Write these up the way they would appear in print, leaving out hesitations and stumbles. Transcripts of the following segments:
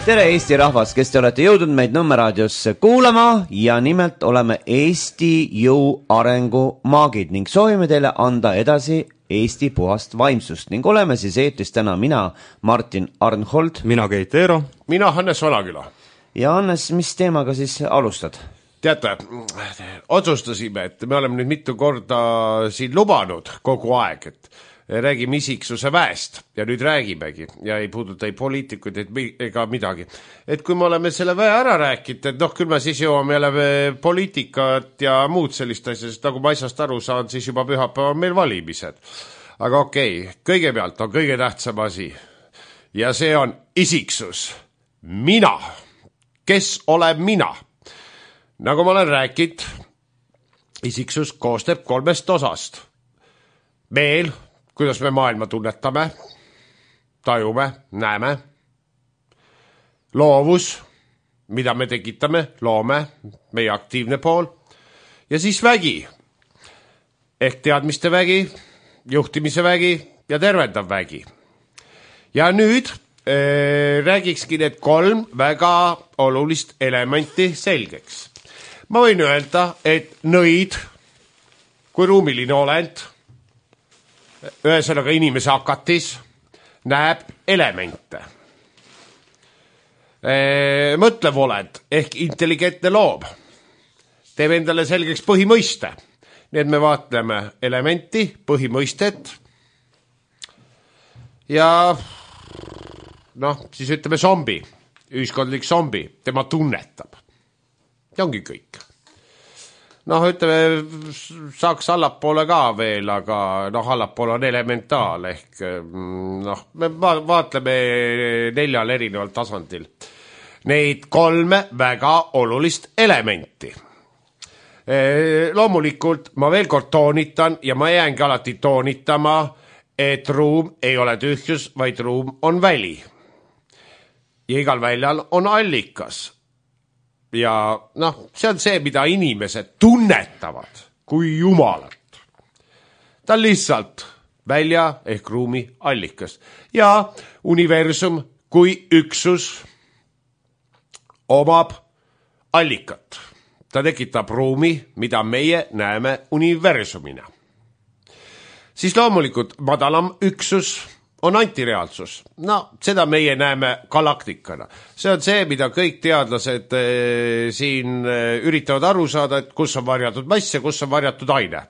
Tere Eesti rahvas, kes te olete jõudnud meid Nõmmeraadiosse kuulama ja nimelt oleme Eesti jõu arengu maagid ning soovime teile anda edasi Eesti puhast vaimsust ning oleme siis eetris täna mina, Martin Arnhold, mina Keit Eero, mina Hannes Valaküla. Ja Hannes, mis teemaga siis alustad? Teate, otsustasime, et me oleme nüüd mitu korda siin lubanud kogu aeg, et räägime isiksuse väest ja nüüd räägimegi ja ei puuduta ei poliitikuid ega midagi. Et kui me oleme selle väe ära rääkinud, et küll me siis jõuame jälle poliitikat ja muud sellist asja, sest nagu ma asjast aru saan, siis juba pühapäeval on meil valimised. Aga okei, kõigepealt on kõige tähtsam asi ja see on isiksus. Mina. Kes olen mina? Nagu ma olen rääkinud, isiksus koosneb 3 osast. Meel, kuidas me maailma tunnetame, tajume, näeme. Loovus, mida me tekitame, loome, meie aktiivne pool. Ja siis vägi, ehk teadmiste vägi, juhtimise vägi ja tervendav vägi. Ja nüüd räägikski need 3 väga olulist elementi selgeks. Ma võin öelda, et nõid, kui ruumiline olend, ühesõnaga inimese hakatis, näeb elemente. Mõtlev olend ehk intelligentne loom teeb endale selgeks põhimõiste. Nii et me vaatleme elementi, põhimõistet ja siis ütleme zombi, ühiskondlik zombi, tema tunnetab. Ja ongi kõik. Ütleme, saaks allapoole ka veel, aga allapoole on elementaal ehk me vaatleme 4 erineval tasandil. Neid 3 väga olulist elementi. Loomulikult ma veel kord toonitan ja ma jäängi alati toonitama, et ruum ei ole tühjus, vaid ruum on väli. Ja igal väljal on allikas. Ja see on see, mida inimesed tunnetavad kui jumalat. Ta on lihtsalt välja ehk ruumi allikas. Ja universum kui üksus omab allikat. Ta tekitab ruumi, mida meie näeme universumina. Siis loomulikult madalam üksus on antireaalsus. Seda meie näeme galaktikana. See on see, mida kõik teadlased siin üritavad aru saada, et kus on varjatud mass ja kus on varjatud aine.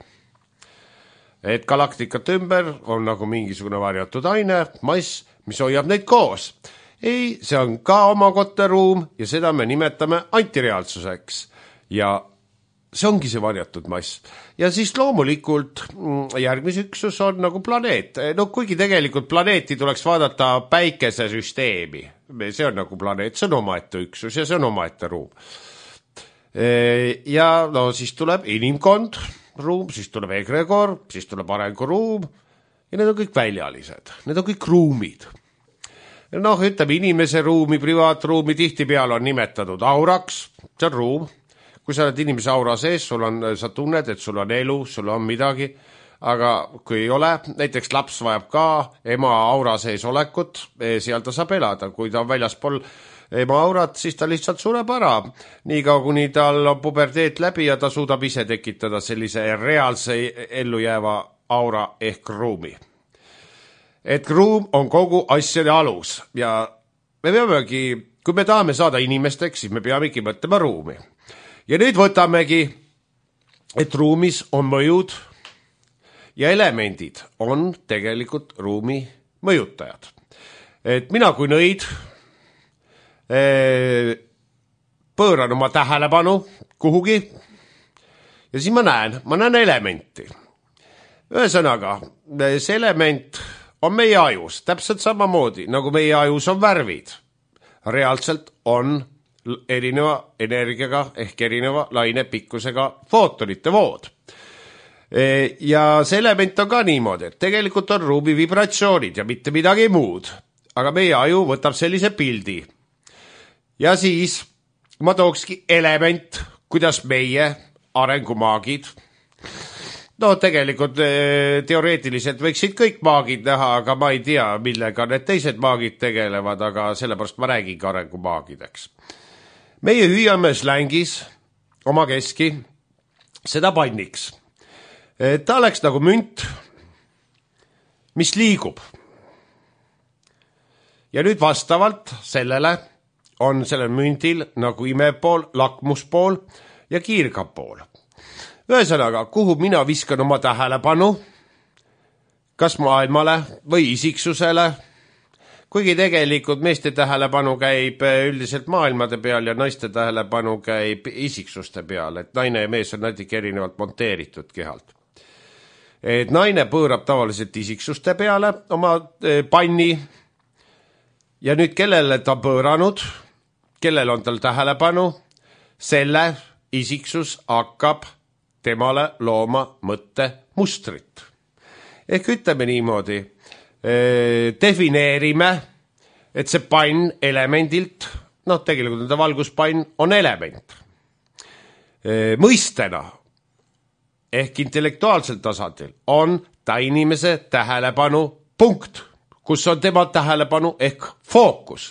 Et galaktikat ümber on nagu mingisugune varjatud aine, mass, mis hoiab neid koos. Ei, see on ka omakotte ruum ja seda me nimetame antireaalsuseks. Ja see ongi see varjatud mass. Ja siis loomulikult järgmise üksus on nagu planeet. Kuigi tegelikult planeeti tuleks vaadata päikesesüsteemi. See on nagu planeet, see on omaette üksus ja see on omaette ruum. Ja siis tuleb inimkond ruum, siis tuleb egregor, siis tuleb arenguruum ja need on kõik väljalised. Need on kõik ruumid. Ütleme inimese ruumi, privaatruumi tihtipeale on nimetatud auraks, see on ruum. Kui sa oled inimese aura sees, sa tunned, et sul on elu, sul on midagi, aga kui ei ole, näiteks laps vajab ka ema aura sees olekut, seal ta saab elada. Kui ta on väljaspool ema aurat, siis ta lihtsalt sureb ära. Niikaua, kuni tal on puberteet läbi ja ta suudab ise tekitada sellise reaalse ellujääva aura ehk ruumi. Et ruum on kogu asjade alus ja me peamegi, kui me tahame saada inimesteks, siis me peamegi mõtlema ruumi. Ja nüüd võtamegi, et ruumis on mõjud ja elemendid on tegelikult ruumi mõjutajad. Et mina kui nõid pööran oma tähelepanu kuhugi ja siis ma näen elementi. Ühesõnaga, see element on meie ajus, täpselt samamoodi, nagu meie ajus on värvid. Reaalselt on erineva energiaga ehk erineva lainepikkusega footonite vood. Ja see element on ka niimoodi, et tegelikult on ruumi vibratsioonid ja mitte midagi muud. Aga meie aju võtab sellise pildi. Ja siis ma tookski element, kuidas meie arengumaagid No tegelikult teoreetiliselt võiksid kõik maagid näha, aga ma ei tea, millega need teised maagid tegelevad, aga sellepärast ma räägingi arengumaagideks. Meie hüüame slängis oma keski seda panniks. Ta oleks nagu münt, mis liigub. Ja nüüd vastavalt sellele on sellel mündil nagu imepool, lakmuspool ja kiirgapool. Ühesõnaga, kuhu mina viskan oma tähelepanu, kas maailmale või isiksusele, kuigi tegelikult meeste tähelepanu käib üldiselt maailmade peal ja naiste tähelepanu käib isiksuste peal, et naine ja mees on natuke erinevalt monteeritud kehalt. Et naine pöörab tavaliselt isiksuste peale oma panni ja nüüd kellele ta pööranud, kellel on tal tähelepanu, selle isiksus hakkab temale looma mõtte mustrit. Ehk ütleme niimoodi, defineerime, et see pann elemendilt, tegelikult on ta valguspann, on element. Mõistena ehk intellektuaalsel tasandil on ta inimese tähelepanu punkt, kus on tema tähelepanu ehk fookus.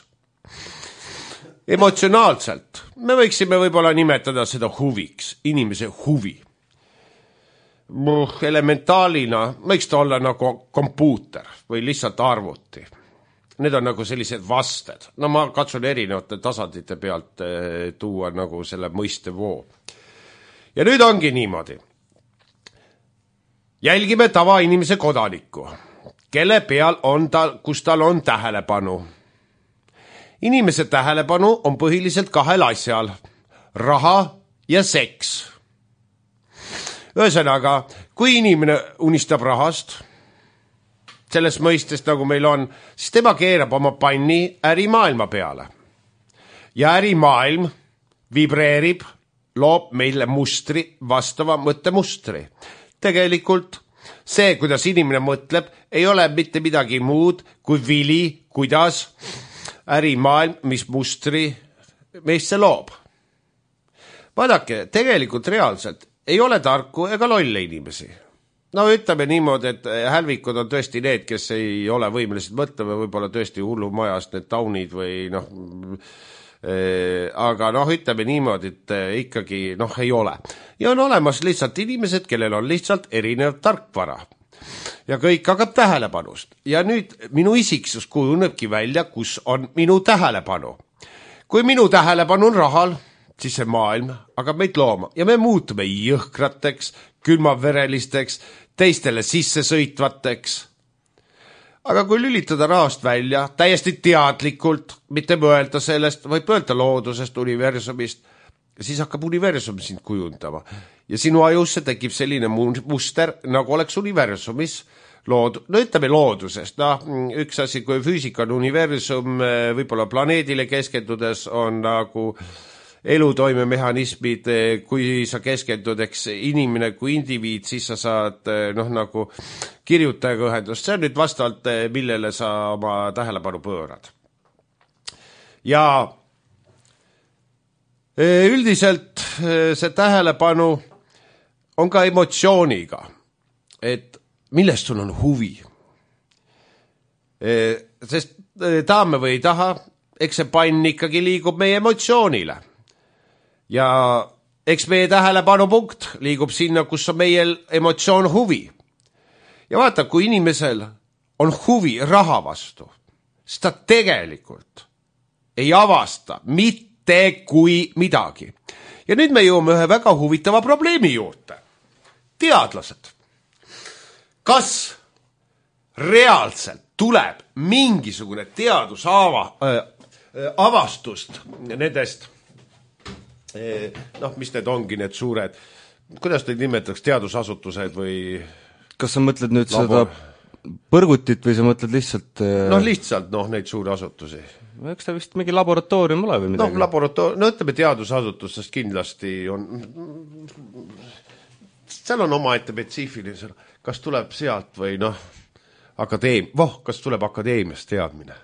Emotsionaalselt me võiksime võib-olla nimetada seda huviks, inimese huvi. Elementaalina võiks ta olla nagu kompuuter või lihtsalt arvuti. Need on nagu sellised vasted. Ma katsun erinevate tasandite pealt tuua nagu selle mõiste voo. Ja nüüd ongi niimoodi. Jälgime tavainimese kodanikku, kelle peal on tal, kus tal on tähelepanu. Inimese tähelepanu on põhiliselt kahel asjal, raha ja seks. Ühesõnaga, kui inimene unistab rahast, selles mõistest nagu meil on, siis tema keerab oma panni ärimaailma peale. Ja ärimaailm vibreerib, loob meile mustri, vastava mõttemustri. Tegelikult see, kuidas inimene mõtleb, ei ole mitte midagi muud kui vili, kuidas ärimaailm, mis mustri meisse loob. Vaadake, tegelikult reaalselt ei ole tarku ega lolle inimesi. Ütleme niimoodi, et hälvikud on tõesti need, kes ei ole võimelised mõtlema, võib-olla tõesti hullumajast need taunid või aga ütleme niimoodi, et ikkagi ei ole. Ja on olemas lihtsalt inimesed, kellel on lihtsalt erinev tarkvara. Ja kõik hakkab tähelepanust. Ja nüüd minu isiksus kujunebki välja, kus on minu tähelepanu. Kui minu tähelepanu on rahal, siis see maailm hakkab meid looma ja me muutume jõhkrateks, külmaverelisteks, teistele sissesõitvateks. Aga kui lülitada rahast välja, täiesti teadlikult, mitte mõelda sellest, vaid mõelda loodusest, universumist, siis hakkab universum sind kujundama. Ja sinu ajusse tekib selline muster, nagu oleks universumis ütleme loodusest. Üks asi, kui füüsika on universum, võib-olla planeedile keskendudes on nagu elutoimemehhanismid, kui sa keskendud, eks inimene kui indiviid, siis sa saad nagu kirjutajaga ühendust. See on nüüd vastavalt, millele sa oma tähelepanu pöörad. Ja üldiselt see tähelepanu on ka emotsiooniga, et millest sul on huvi. Sest tahame või ei taha, eks see pann ikkagi liigub meie emotsioonile. Ja eks meie tähelepanupunkt liigub sinna, kus on meie emotsioon huvi. Ja vaata, kui inimesel on huvi raha vastu, siis ta tegelikult ei avasta mitte kui midagi. Ja nüüd me jõuame ühe väga huvitava probleemi juurde. Teadlased. Kas reaalselt tuleb mingisugune avastust nendest, mis need ongi need suured, kuidas neid nimetaks, teadusasutused või... Kas sa mõtled nüüd seda põrgutit või sa mõtled lihtsalt... Lihtsalt neid suuri asutusi. Eks ta vist mingi laboratoorium ole või midagi? Ütleme teadusasutustest kindlasti on... Seal on oma spetsiifiline, kas tuleb sealt või kas tuleb akadeemiast teadmine.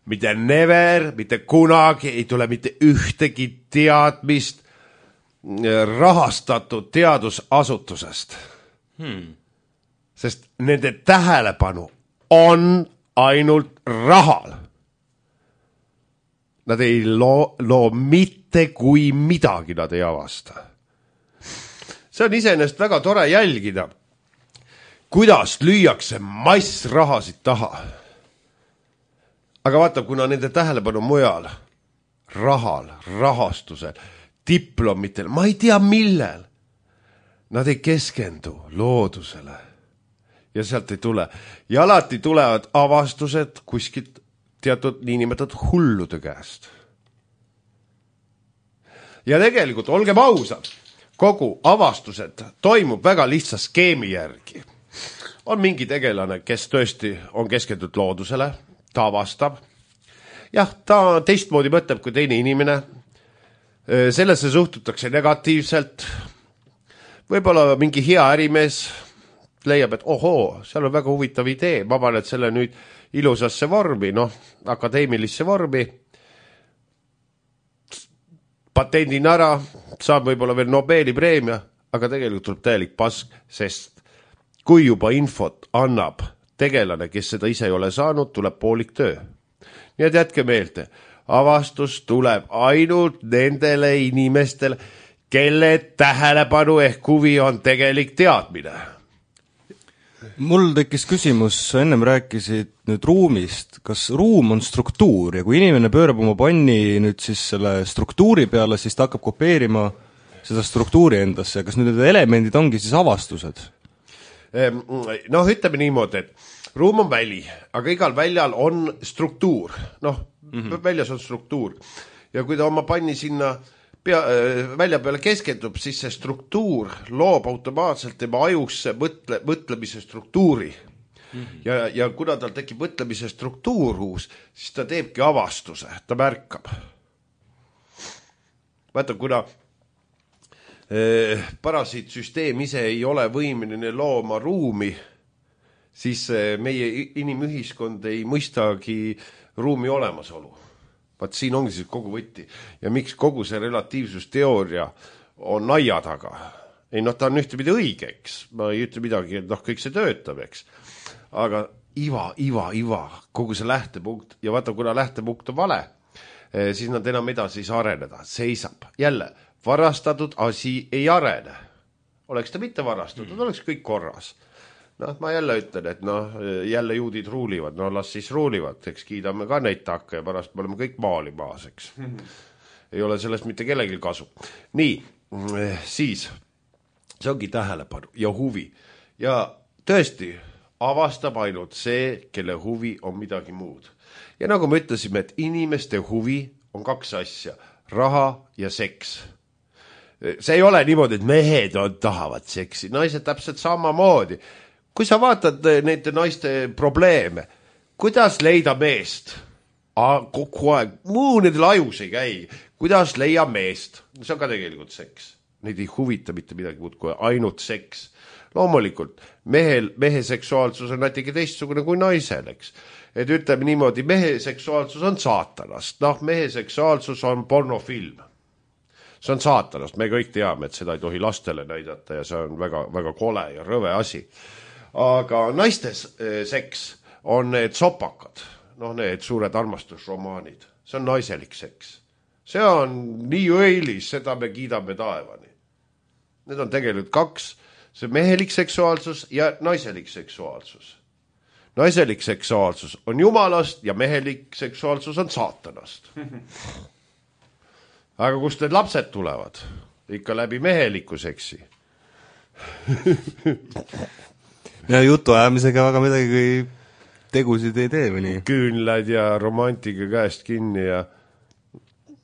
Mitte never, mitte kunagi ei tule mitte ühtegi teadmist rahastatud teadusasutusest. Sest nende tähelepanu on ainult rahal. Nad ei loo mitte kui midagi nad ei avasta. See on iseenesest väga tore jälgida, kuidas lüüakse mass rahasid taha. Aga vaata, kuna nende tähelepanu mujal, rahal, rahastusel, diplomitel, ma ei tea millel, nad ei keskendu loodusele. Ja sealt ei tule. Ja alati tulevad avastused kuskilt teatud niinimetatud hullude käest. Ja tegelikult, olgem ausad, kogu avastused toimub väga lihtsa skeemi järgi. On mingi tegelane, kes tõesti on keskendunud loodusele, ta avastab. Jah, ta teistmoodi mõtleb kui teine inimene. Sellesse suhtutakse negatiivselt. Võib-olla mingi hea ärimees leiab, et ohoo, seal on väga huvitav idee, ma panen selle nüüd ilusasse vormi, akadeemilisse vormi, patendin ära, saab võib-olla veel Nobeli preemia, aga tegelikult tuleb täielik pask, sest kui juba infot annab tegelane, kes seda ise ei ole saanud, tuleb poolik töö. Nii et jätke meelde, avastus tuleb ainult nendele inimestele, kelle tähelepanu ehk huvi on tegelik teadmine. Mul tekkis küsimus, ennem rääkisid nüüd ruumist, kas ruum on struktuur ja kui inimene pöörab oma panni nüüd siis selle struktuuri peale, siis ta hakkab kopeerima seda struktuuri endasse, kas nüüd need elemendid ongi siis avastused? Ütleme niimoodi, et ruum on väli, aga igal väljal on struktuur, väljas on struktuur ja kui ta oma panni sinna välja peale keskendub, siis see struktuur loob automaatselt tema ajusse mõtlemise struktuuri. Ja kuna tal tekib mõtlemise struktuur uus, siis ta teebki avastuse, ta märkab. Vaata, kuna parasiitsüsteem ise ei ole võimeline looma ruumi, siis meie inimühiskond ei mõistagi ruumi olemasolu. Vaat siin ongi siis kogu võtti. Ja miks kogu see relatiivsusteooria on naia taga? Ei, ta on ühtepidi õigeks. Ma ei ütle midagi, et kõik see töötab, eks. Aga iva, kogu see lähtepunkt. Ja vaata, kuna lähtepunkt on vale, siis nad enam edasi ei saa areneda. Seisab. Jälle, varastatud asi ei arene. Oleks ta mitte varastatud, oleks kõik korras. Ma jälle ütlen, et jälle juudid ruulivad, las siis ruulivad, eks kiidame ka neid takka ja pärast me oleme kõik maali maas, eks. Ei ole sellest mitte kellelgi kasu. Nii, siis, see ongi tähelepanu ja huvi. Ja tõesti, avastab ainult see, kelle huvi on midagi muud. Ja nagu me ütlesime, et inimeste huvi on kaks asja, raha ja seks. See ei ole niimoodi, et mehed tahavad seksi, naised täpselt samamoodi. Kui sa vaatad nende naiste probleeme, kuidas leida meest? Kogu aeg, muu nendel ajus ei käi. Kuidas leia meest? See on ka tegelikult seks. Neid ei huvita mitte midagi muud kui ainult seks. Loomulikult, mehe seksuaalsus on natuke teistsugune kui naisel, eks. Et ütleme niimoodi, mehe seksuaalsus on saatanast. Mehe seksuaalsus on pornofilm. See on saatanast. Me kõik teame, et seda ei tohi lastele näidata ja see on väga, väga kole ja rõve asi. Aga naistes seks on need sopakad, need suured armastusromaanid. See on naiselik seks. See on nii õilis, seda me kiidame taevani. Need on tegelikult kaks, see mehelik seksuaalsus ja naiselik seksuaalsus. Naiselik seksuaalsus on jumalast ja mehelik seksuaalsus on saatanast. Aga kust need lapsed tulevad? Ikka läbi meheliku seksi. Ja jutu ajamisega väga midagi tegusid ei tee või nii? Küünlad ja romantika käest kinni ja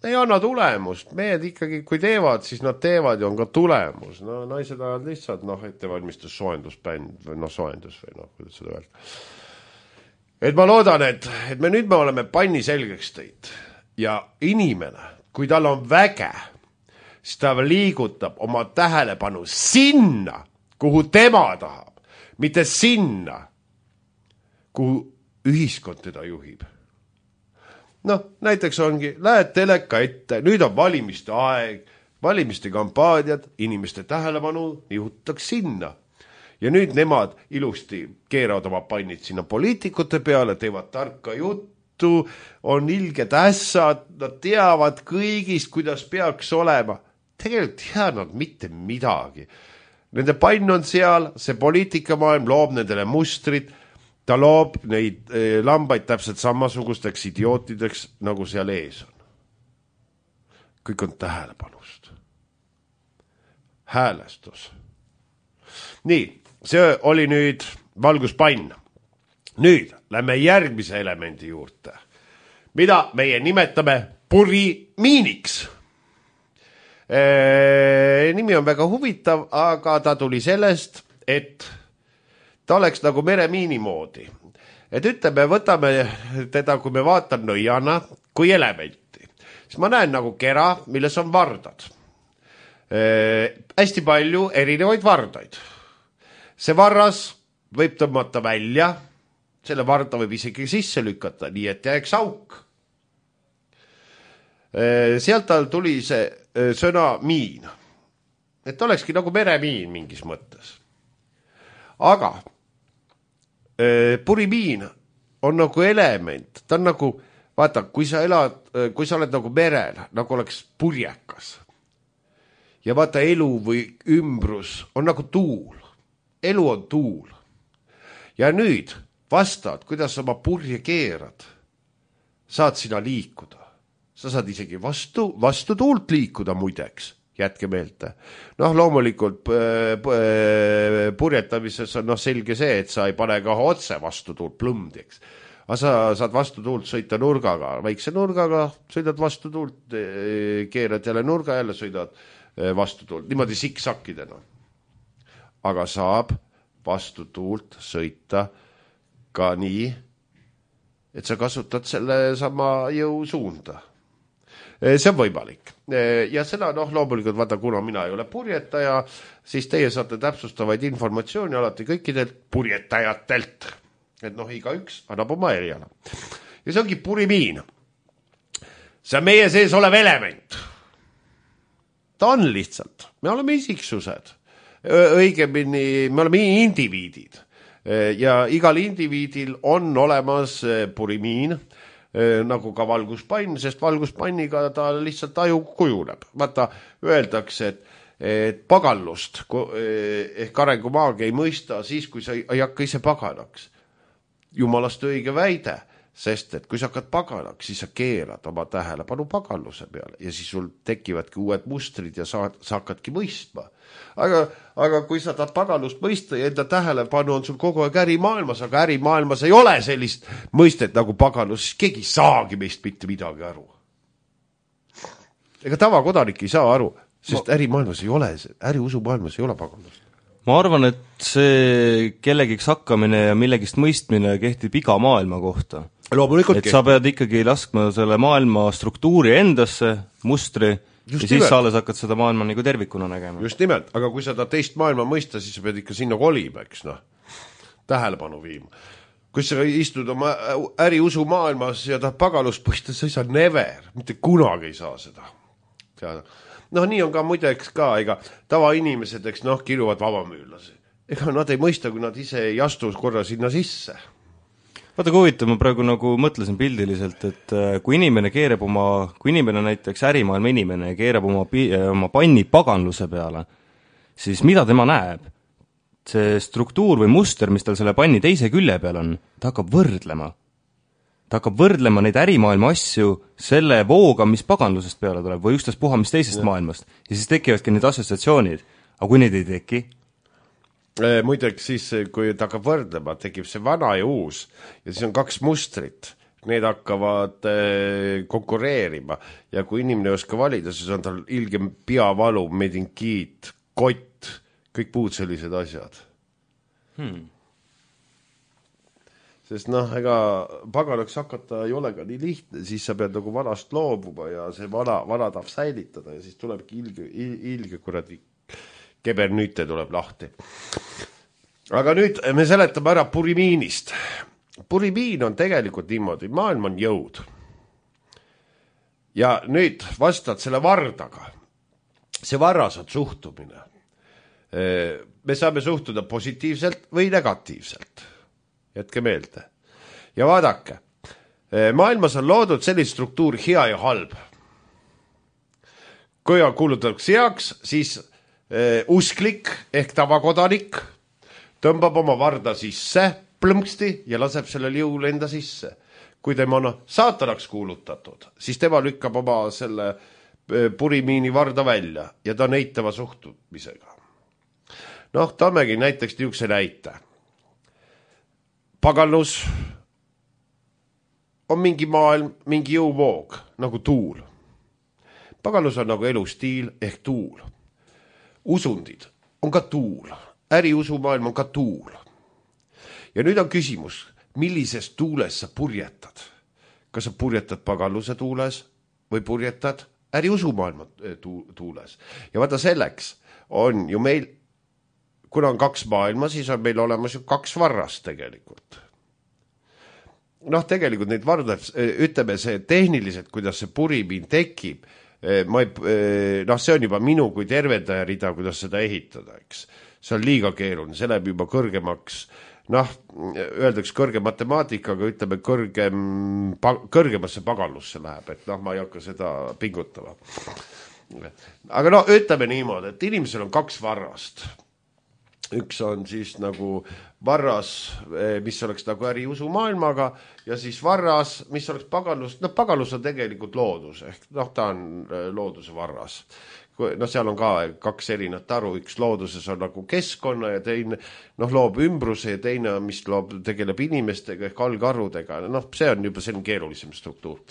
ei anna tulemust. Mehed ikkagi, kui teevad, siis nad teevad ja on ka tulemus. Naised ajad lihtsalt, ettevalmistus soojendusbänd või soojendus või kuidas seda öelda. Et ma loodan, et me nüüd me oleme panni selgeks teinud ja inimene, kui tal on väge, siis ta liigutab oma tähelepanu sinna, kuhu tema tahab. Mitte sinna, kuhu ühiskond teda juhib. Näiteks ongi, lähed teleka ette, nüüd on valimiste aeg, valimiste kampaaniad, inimeste tähelepanu nihutaks sinna. ja nüüd nemad ilusti keeravad oma pannid sinna poliitikute peale, teevad tarka juttu, on ilged ässad, nad teavad kõigist, kuidas peaks olema. Tegelikult teavad nad mitte midagi. Nende pann on seal, see poliitikamaailm loob nendele mustrid, ta loob neid lambaid täpselt samasugusteks idiootideks, nagu seal ees on. Kõik on tähelepanust. Häälestus. Nii, see oli nüüd valguspann. Nüüd lähme järgmise elemendi juurde, mida meie nimetame purimiiniks. Nimi on väga huvitav, aga ta tuli sellest, et ta oleks nagu meremiini moodi. Et ütleme, võtame teda, kui me vaatan nõiana, kui elementi. Siis ma näen nagu kera, milles on vardad. Hästi palju erinevaid vardaid. See varras võib tõmmata välja, selle varda võib isegi sisse lükata, nii et jääks auk. Sealt tal tuli see sõna miin. Et olekski nagu meremiin mingis mõttes. Aga purimiin on nagu element, ta on nagu, vaata, kui sa oled nagu merel, nagu oleks purjekas. Ja vaata, elu või ümbrus on nagu tuul. Elu on tuul. Ja nüüd vastad, kuidas oma purje keerad, saad sina liikuda. Sa saad isegi vastu tuult liikuda muideks, jätke meelde. Noh, loomulikult purjetamises on selge see, et sa ei pane ka otse vastu tuult plõmdeks. Aga sa saad vastu tuult sõita nurgaga, väikse nurgaga, sõidad vastu tuult, keerad jälle nurga, jälle sõidad vastu tuult, niimoodi siksakidena. Aga saab vastu tuult sõita ka nii, et sa kasutad selle sama jõu suunda. See on võimalik. Ja seda, loomulikult, vaata, kuna mina ei ole purjetaja, siis teie saate täpsustavaid informatsiooni alati kõikidelt purjetajatelt. Et igaüks annab oma eriala. Ja see ongi purimiin. See on meie sees olev element. Ta on lihtsalt. Me oleme isiksused. Õigemini, me oleme indiviidid. Ja igal indiviidil on olemas purimiin, nagu ka valguspann, sest valguspanniga ta lihtsalt aju kujuneb. Vaata, öeldakse, et pagallust ehk arengumaagia ei mõista siis, kui sa ei hakka ise paganaks. Jumalast õige väide, sest et kui sa hakkad paganaks, siis sa keerad oma tähelepanu pagalluse peale ja siis sul tekivadki uued mustrid ja sa hakkadki mõistma. Aga kui sa tahad pagalust mõista ja enda tähelepanu on sul kogu aeg ärimaailmas, aga ärimaailmas ei ole sellist mõistet nagu pagalus, siis keegi saagi meist mitte midagi aru. Ega tavakodanik ei saa aru, sest ärimaailmas ei ole, äriusumaailmas ei ole pagalust. Ma arvan, et see kellegiks hakkamine ja millegist mõistmine kehtib iga maailma kohta. Loomulikult et sa pead ikkagi laskma selle maailma struktuuri endasse, mustri, just ja siis sa alles hakkad seda maailma nagu tervikuna nägema. Just nimelt, aga kui sa ta teist maailma mõista, siis sa pead ikka sinna kolima, eks tähelepanu viima. Kui sa istud oma äriusu maailmas ja tahad pagalust mõista, sa ei saa never, mitte kunagi ei saa seda. Nii on ka muideks ka, ega tavainimesed, eks kiruvad vabamüülasi. Ega nad ei mõista, kui nad ise ei astu korra sinna sisse. Vaata, kui huvitav, ma praegu nagu mõtlesin pildiliselt, et kui inimene näiteks ärimaailma inimene keerab oma panni paganluse peale, siis mida tema näeb? See struktuur või muster, mis tal selle panni teise külje peal on, ta hakkab võrdlema. Ta hakkab võrdlema neid ärimaailma asju selle vooga, mis paganlusest peale tuleb või ükstast puha, mis teisest maailmast. Ja siis tekivadki need assotsiatsioonid. Aga kui neid ei teki? Muideks siis, kui ta hakkab võrdlema, tekib see vana ja uus ja siis on kaks mustrit. Need hakkavad konkureerima ja kui inimene ei oska valida, siis on tal ilgem peavalu, medinkiit, kott, kõik muud sellised asjad. Sest ega paganaks hakata ei ole ka nii lihtne, siis sa pead nagu vanast loobuma ja see vana tahab säilitada ja siis tulebki ilge kuradi kebernüüte tuleb lahti. Aga nüüd me seletame ära purimiinist. Purimiin on tegelikult niimoodi, maailm on jõud. Ja nüüd vastad selle vardaga. See varras on suhtumine. me saame suhtuda positiivselt või negatiivselt. Jätke meelde. Ja vaadake, maailmas on loodud selline struktuur hea ja halb. Kui on kuulutatakse heaks, siis usklik ehk tavakodanik tõmbab oma varda sisse plõmpsti ja laseb sellel jõul enda sisse. Kui tema on saatanaks kuulutatud, siis tema lükkab oma selle purimiini varda välja ja ta on eitava suhtumisega. Toomegi näiteks niisuguse näite. Paganlus on mingi maailm, mingi jõuvoog, nagu tuul. Paganlus on nagu elustiil ehk tuul. Usundid on ka tuul. Äriusumaailm on ka tuul. Ja nüüd on küsimus, millises tuules sa purjetad? Kas sa purjetad paganluse tuules või purjetad äriusumaailma tuules? Ja vaata selleks on ju meil, kuna on 2 maailma, siis on meil olemas ju 2 varrast tegelikult. Tegelikult neid vardas, ütleme see tehniliselt, kuidas see purimiin tekib, see on juba minu kui tervendaja rida, kuidas seda ehitada, eks. See on liiga keeruline, see läheb juba kõrgemaks, öeldaks kõrge matemaatikaga, ütleme kõrgemasse paganlusse läheb, et ma ei hakka seda pingutama. Aga ütleme niimoodi, et inimesel on 2 varrast. Üks on siis nagu varras, mis oleks nagu äriusumaailmaga ja siis varras, mis oleks paganlus. Paganlus on tegelikult loodus, ehk ta on looduse varras. Seal on ka 2 erinat aru, üks looduses on nagu keskkonna ja teine loob ümbruse ja teine, mis tegeleb inimestega ehk algarvudega. See on juba selline keerulisem struktuur.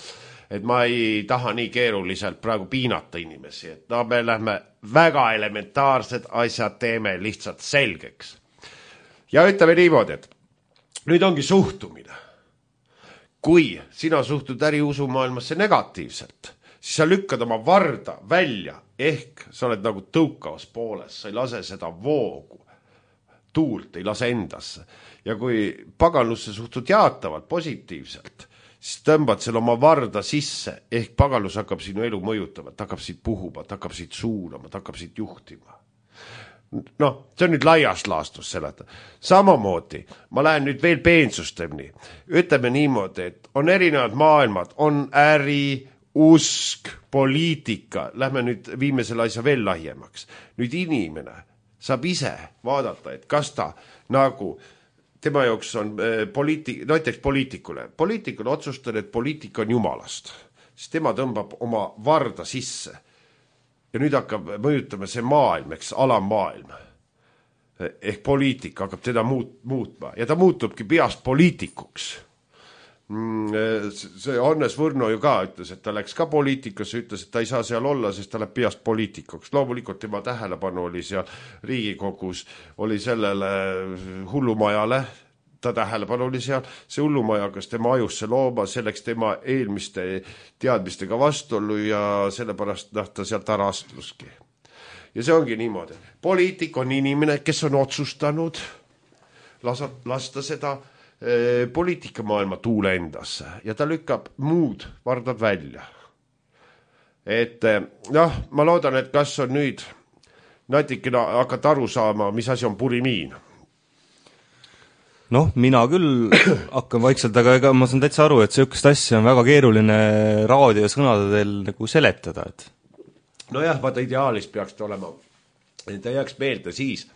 Et ma ei taha nii keeruliselt praegu piinata inimesi, et me lähme väga elementaarsed asjad teeme lihtsalt selgeks. Ja ütleme niimoodi, et nüüd ongi suhtumine. Kui sina suhtud äriusumaailmasse negatiivselt, siis sa lükkad oma varda välja, ehk sa oled nagu tõukavas pooles, sa ei lase seda voogu, tuult ei lase endasse. Ja kui paganlusse suhtud jaatavalt, positiivselt, siis tõmbad selle oma varda sisse, ehk paganlus hakkab sinu elu mõjutama, ta hakkab siit puhuma, ta hakkab siit suunama, ta hakkab siit juhtima. See on nüüd laiast laastus seleta. Samamoodi, ma lähen nüüd veel peensusteni. Ütleme niimoodi, et on erinevad maailmad, on äri, usk, poliitika. Lähme nüüd viime selle asja veel laiemaks. Nüüd inimene saab ise vaadata, et kas ta nagu tema jaoks on näiteks poliitikule. Poliitikule otsustan, et poliitika on jumalast. Siis tema tõmbab oma varda sisse. Ja nüüd hakkab mõjutama see maailm, eks alammaailm. Ehk poliitika hakkab teda muutma. Ja ta muutubki peast poliitikuks. See Hannes Võrno ju ka ütles, et ta läks ka poliitikasse, ütles, et ta ei saa seal olla, sest ta läheb peast poliitikuks. Loomulikult tema tähelepanu oli seal Riigikogus, oli sellele hullumajale, ta tähelepanu oli seal, see hullumaja hakkas tema ajusse looma, selleks tema eelmiste teadmistega vastuollu ja sellepärast ta sealt ära astuski. Ja see ongi niimoodi. Poliitik on inimene, kes on otsustanud lasta seda poliitikamaailma tuule endasse ja ta lükkab muud vardad välja. Et ma loodan, et kas on nüüd natikene hakata aru saama, mis asi on purimiin. Mina küll hakkan vaikselt, aga ma saan täitsa aru, et sellist asja on väga keeruline raadio sõnadel nagu seletada. Et... vaata ideaalis peaks ta olema, ta jääks meelde siis,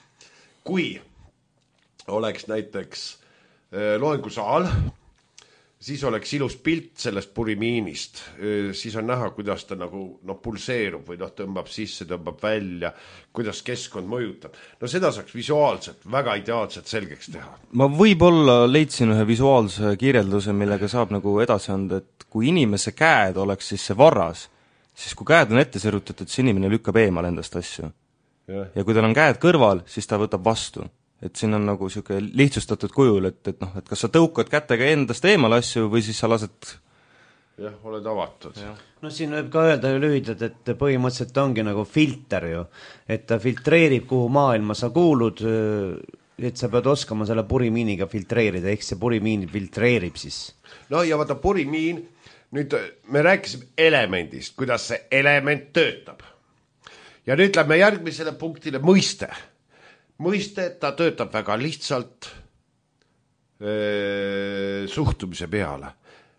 kui oleks näiteks loengusaal, siis oleks ilus pilt sellest purimiinist, siis on näha, kuidas ta nagu pulseerub või tõmbab sisse, tõmbab välja, kuidas keskkond mõjutab. Seda saaks visuaalselt, väga ideaalselt selgeks teha. Ma võib-olla leidsin ühe visuaalse kirjelduse, millega saab nagu edasi anda, et kui inimese käed oleks siis see varras, siis kui käed on ette serutatud, siis inimene lükkab eemal endast asju. Ja kui tal on käed kõrval, siis ta võtab vastu. Et siin on nagu siuke lihtsustatud kujul, et kas sa tõukad kätega endast eemal asju või siis sa lased... Jah, oled avatud. Siin võib ka öelda ju lühidalt, et põhimõtteliselt ongi nagu filter ju, et ta filtreerib, kuhu maailma sa kuulud, et sa pead oskama selle purimiiniga filtreerida, ehk see purimiin filtreerib siis. Ja vaata purimiin, nüüd me rääkisime elemendist, kuidas see element töötab. Ja nüüd lähme järgmisele punktile mõiste. mõiste, ta töötab väga lihtsalt suhtumise peale.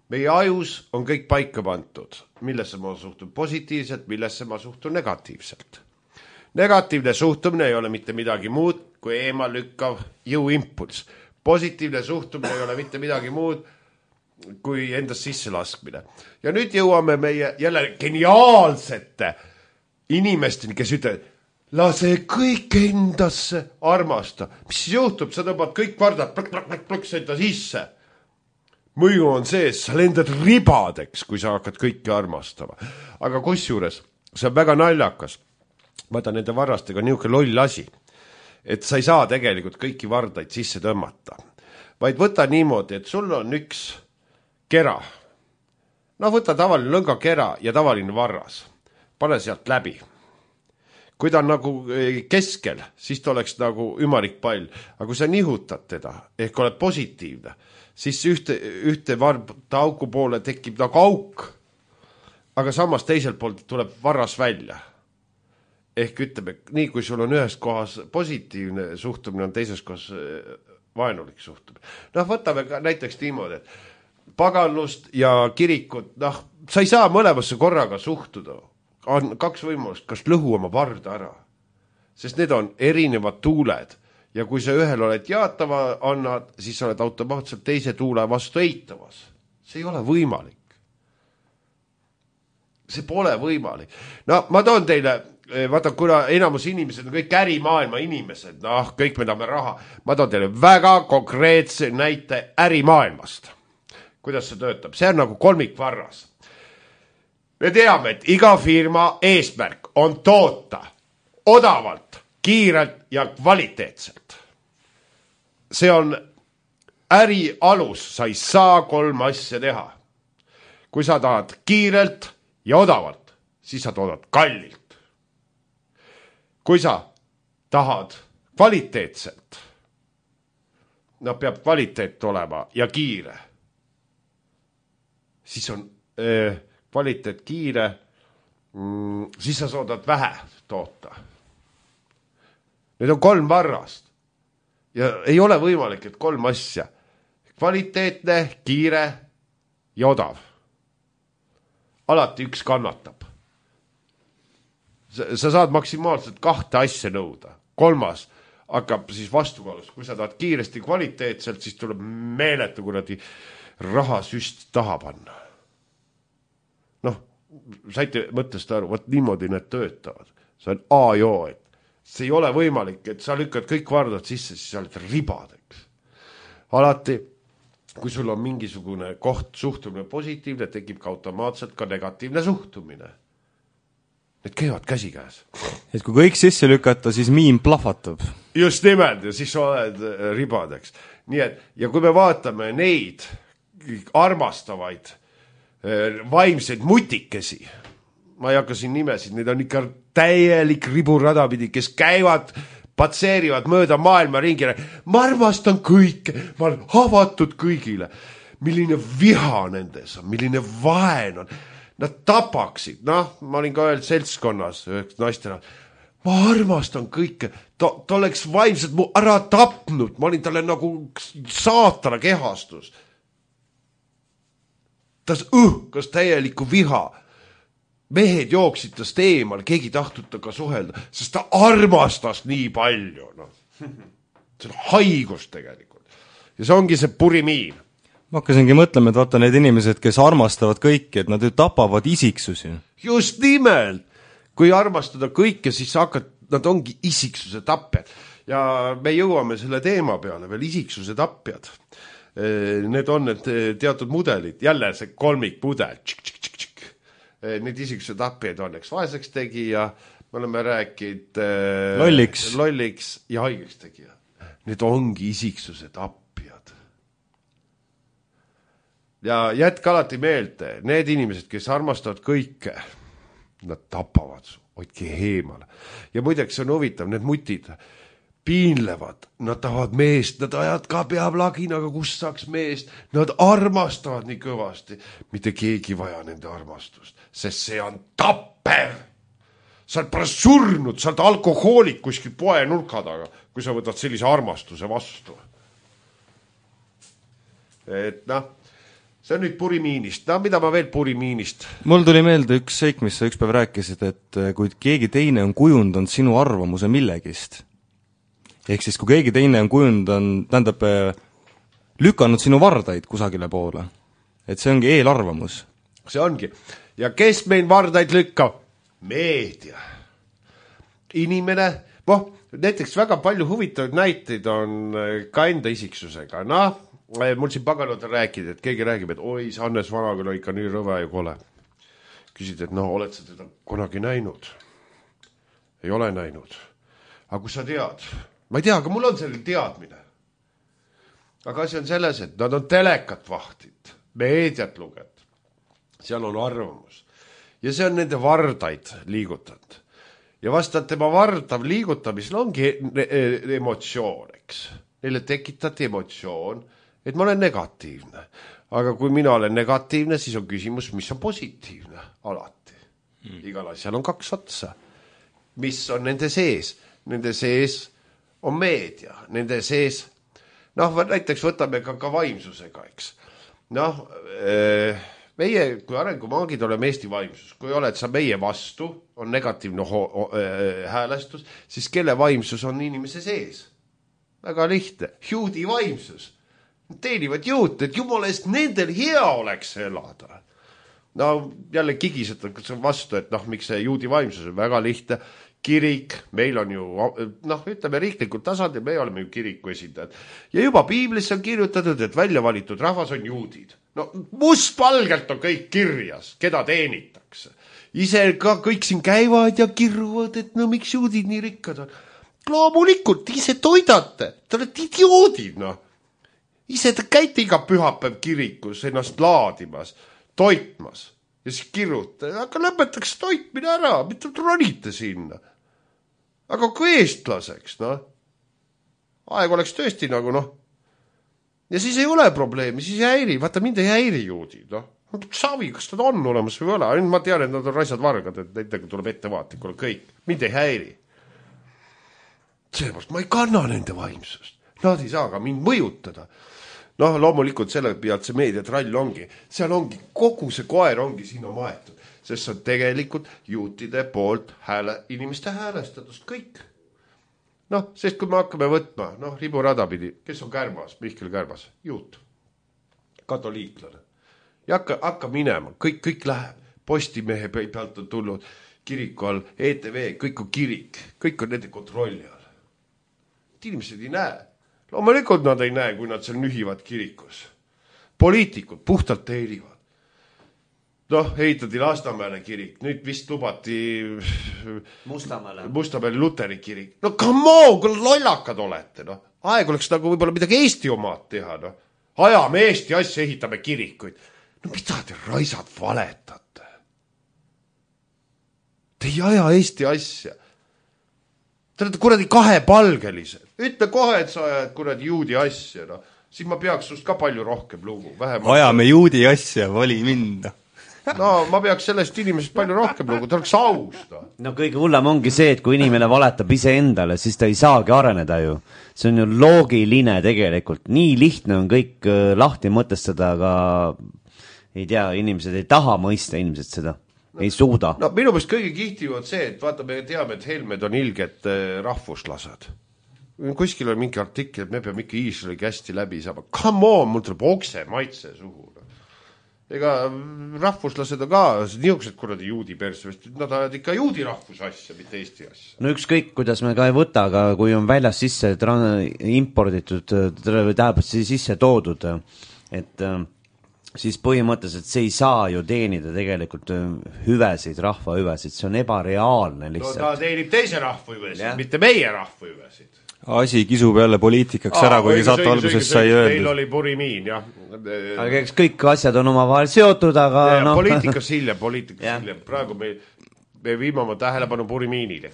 Meie ajus on kõik paika pandud, millesse ma suhtun positiivselt, millesse ma suhtun negatiivselt. Negatiivne suhtumine ei ole mitte midagi muud kui eemal lükkav jõuimpuls. Positiivne suhtumine ei ole mitte midagi muud kui endast sisse laskmine. Ja nüüd jõuame meie jälle geniaalsete inimesteni, kes ütlevad, lase kõik endasse armasta. Mis siis juhtub? Sa tõmbad kõik vardad, plõks enda sisse. Mõju on see, sa lendad ribadeks, kui sa hakkad kõike armastama. Aga kusjuures, see on väga naljakas. Vaata nende varrastega niisugune loll asi, et sa ei saa tegelikult kõiki vardaid sisse tõmmata. Vaid võta niimoodi, et sul on üks kera. No võta tavaline lõngakera ja tavaline varras. Pane sealt läbi. Kui ta on nagu keskel, siis ta oleks nagu ümarik pall. Aga kui sa nihutad teda, ehk oled positiivne, siis ühte varta auku poole tekib nagu auk, aga samas teiselt poolt tuleb varras välja. Ehk ütleme, nii kui sul on ühes kohas positiivne suhtumine, on teises kohas vaenulik suhtumine. Noh, võtame ka näiteks niimoodi, et paganlust ja kirikut, noh, sa ei saa mõlemasse korraga suhtuda. On kaks võimalust, kas lõhu oma varda ära. Sest need on erinevad tuuled. Ja kui sa ühel oled jaatava annad, siis oled automaatselt teise tuule vastu eitavas. See ei ole võimalik. See pole võimalik. No ma toon teile, vaata, kuna enamus inimesed on kõik ärimaailma inimesed, noh, kõik me tahame raha. Ma toon teile väga konkreetse näite ärimaailmast. Kuidas see töötab? See on nagu kolmikvarras. Me teame, et iga firma eesmärk on toota odavalt, kiirelt ja kvaliteetselt. See on äri alus, sa ei saa 3 asja teha. Kui sa tahad kiirelt ja odavalt, siis sa toodad kallilt. Kui sa tahad kvaliteetselt, no peab kvaliteet olema ja kiire, siis on kvaliteet kiire, siis sa soodad vähe toota. Need on 3 varrast. Ja ei ole võimalik, et 3 asja. Kvaliteetne, kiire ja odav. Alati üks kannatab. Sa saad maksimaalselt 2 asja nõuda. 3 hakkab siis vastukaalust. Kui sa tahad kiiresti kvaliteetselt, siis tuleb meeletu kuradi rahasüst taha panna. Noh, saite mõttest aru, võt niimoodi need töötavad. See on A ja O, et see ei ole võimalik, et sa lükkad kõik vardad sisse, siis sa oled ribadeks. Alati, kui sul on mingisugune koht suhtumine positiivne, tekib ka automaatselt ka negatiivne suhtumine. Need käivad käsikäes. Et kui kõik sisse lükata, siis miim plahvatab. Just nimelt, ja siis oled ribadeks. Nii et, ja kui me vaatame neid armastavaid vaimseid mutikesi, ma ei hakka siin nimesid, need on ikka täielik riburadapidi, kes käivad, patseerivad mööda maailma ringile. Ma armastan kõike, ma olen avatud kõigile. Milline viha nendes on, milline vaen on. Nad tapaksid, noh, ma olin ka ühel seltskonnas, üheks naistena. Ma armastan kõike, ta oleks vaimselt mu ära tapnud, ma olin talle nagu saatana kehastus. Ta õhkas täielikku viha. Mehed jooksid tast eemal, keegi tahtnud taga suhelda, sest ta armastas nii palju. No. See on haigus tegelikult. Ja see ongi see purimiin. Ma hakkasingi mõtlema, et vaata need inimesed, kes armastavad kõike, et nad ju tapavad isiksusi. Just nimelt. Kui armastada kõike, siis nad ongi isiksuse tapjad. Ja me jõuame selle teema peale veel isiksuse tapjad. Need on need teatud mudelid, jälle see kolmik mudel. Need isiksuse tapjad on, eks vaeseks tegija, me oleme rääkinud lolliks ja haigeks tegija. Need ongi isiksuse tapjad. Ja jätka alati meelde, need inimesed, kes armastavad kõike, nad tapavad su, hoidki eemale. Ja muideks on huvitav, need mutid piinlevad, nad tahavad meest, nad ajad ka peab laginaga, kust saaks meest, nad armastavad nii kõvasti. Mitte keegi vaja nende armastust, sest see on tappev. sa oled pärast surnud, sa oled alkohoolik kuskil poe nurka taga, kui sa võtad sellise armastuse vastu. Et noh, see on nüüd Purimiinist. No mida ma veel Purimiinist? Mul tuli meelde üks seik, mis sa ükspäev rääkisid, et kui keegi teine on kujundanud sinu arvamuse millegist, ehk siis kui keegi teine on kujundanud, tähendab, lükanud sinu vardaid kusagile poole, et see ongi eelarvamus. See ongi. Ja kes meil vardaid lükkab? Meedia. Inimene, näiteks väga palju huvitavaid näiteid on ka enda isiksusega. Noh, mul siin paganad on rääkida, et keegi räägib, et oi, see Hannes Vanaküla ikka nii rõve ja kole. Küsid, et oled sa teda kunagi näinud? Ei ole näinud. Aga kui sa tead? Ma ei tea, aga mul on selline teadmine. Aga asi on selles, et nad on telekat vahtid, meediat luget. Seal on arvamus. Ja see on nende vardaid liigutanud. Ja vastavalt tema vardav liigutamisel ongi emotsioon, eks. Neile tekitati emotsioon, et ma olen negatiivne. Aga kui mina olen negatiivne, siis on küsimus, mis on positiivne alati. Igal asjal on kaks otsa. Mis on nende sees? Nende sees on meedia. Nende sees, näiteks võtame ka vaimsusega, eks. Meie, kui arengumaagid oleme Eesti vaimsus, kui oled sa meie vastu, on negatiivne häälestus, siis kelle vaimsus on inimese sees? Väga lihtne. Juudi vaimsus. Teenivad juut, et jumala eest nendel hea oleks elada. Jälle kigisetakse vastu, et miks see juudi vaimsus on väga lihtne. Kirik, meil on ju, ütleme riiklikult tasandil, me oleme ju kiriku esindajad. Ja juba piiblis on kirjutatud, et välja valitud rahvas on juudid. Mustvalgelt on kõik kirjas, keda teenitakse. Ise ka kõik siin käivad ja kirjuvad, et miks juudid nii rikkad on. Loomulikult, ise toidate, te olete idioodid, Ise te käite iga pühapäev kirikus ennast laadimas, toitmas ja siis kirjuta. Aga lõpetaks toitmine ära, mitte ronite sinna. Aga kui eestlaseks, aeg oleks tõesti Ja siis ei ole probleemi, siis ei häiri. Vaata, mind ei häiri juudid, Savi, kas nad on olemas või ole? Ma tean, et nad on raisad vargad, et nendega tuleb ettevaatikule kõik. Mind ei häiri. Seepärast ma ei kanna nende vaimsust. Nad ei saa ka mind mõjutada. Loomulikult selle pealt see meediatrall ongi. Seal ongi, kogu see koer ongi sinna maetud. Sest see on tegelikult juutide poolt inimeste häälestatus. Kõik. Sest kui me hakkame võtma, riburada pidi, kes on Kärmas, Mihkel Kärmas? Juut. Katoliiklane. Ja hakka minema, kõik läheb. Postimehe pealt on tulnud kiriku all, ETV, kõik on kirik. Kõik on nende kontrolli all. Inimesed ei näe. Loomulikult nad ei näe, kui nad seal nühivad kirikus. Poliitikud puhtalt teenivad. Ehitati Lasnamäele kirik, nüüd vist lubati Mustamäele Luteri kirik. Come on, kui lollakad olete, Aeg oleks võib-olla midagi Eesti omaad teha, Ajame Eesti asja, ehitame kirikuid. Mida te raisad valetate? Te ei aja Eesti asja. Te olete kuradi kahepalgelised. Ütle kohe, et sa ajad kuradi juudi asja, Siis ma peaks sust ka palju rohkem lugu. Ajame juudi asja, vali minna. Ma peaks sellest inimesest palju rohkem lugu, ta oleks aus. Kõige hullem ongi see, et kui inimene valetab ise endale, siis ta ei saagi areneda ju. See on ju loogiline tegelikult. Nii lihtne on kõik lahti mõtestada, aga ei tea, inimesed ei taha mõista inimesed seda. Ei suuda. Minu meelest kõige kihtivad see, et vaata, me teame, et Helmed on ilged rahvuslased. Kuskil on mingi artikkel, et me peame ikka Iisraeli hästi läbi saama. Come on, mul tuleb okse maitse suhu. Ega rahvuslased on ka niisugused kuradi juudi persvest. Nad ajad ikka juudi rahvuse asja, mitte Eesti asja. Ükskõik, kuidas me ka ei võta, aga kui on väljas sisse imporditud, tähendab sisse toodud, et siis põhimõtteliselt see ei saa ju teenida tegelikult hüvesid, rahva hüvesid, see on ebareaalne lihtsalt. Ta teenib teise rahva hüvesid, mitte meie rahva hüvesid. Asi kisub jälle poliitikaks ära, kuigi saate alguses sai öeldud. Teil oli Purimiin, jah. Aga eks kõik asjad on omavahel seotud, aga poliitikas hiljem. Praegu me viime oma tähelepanu Purimiinile.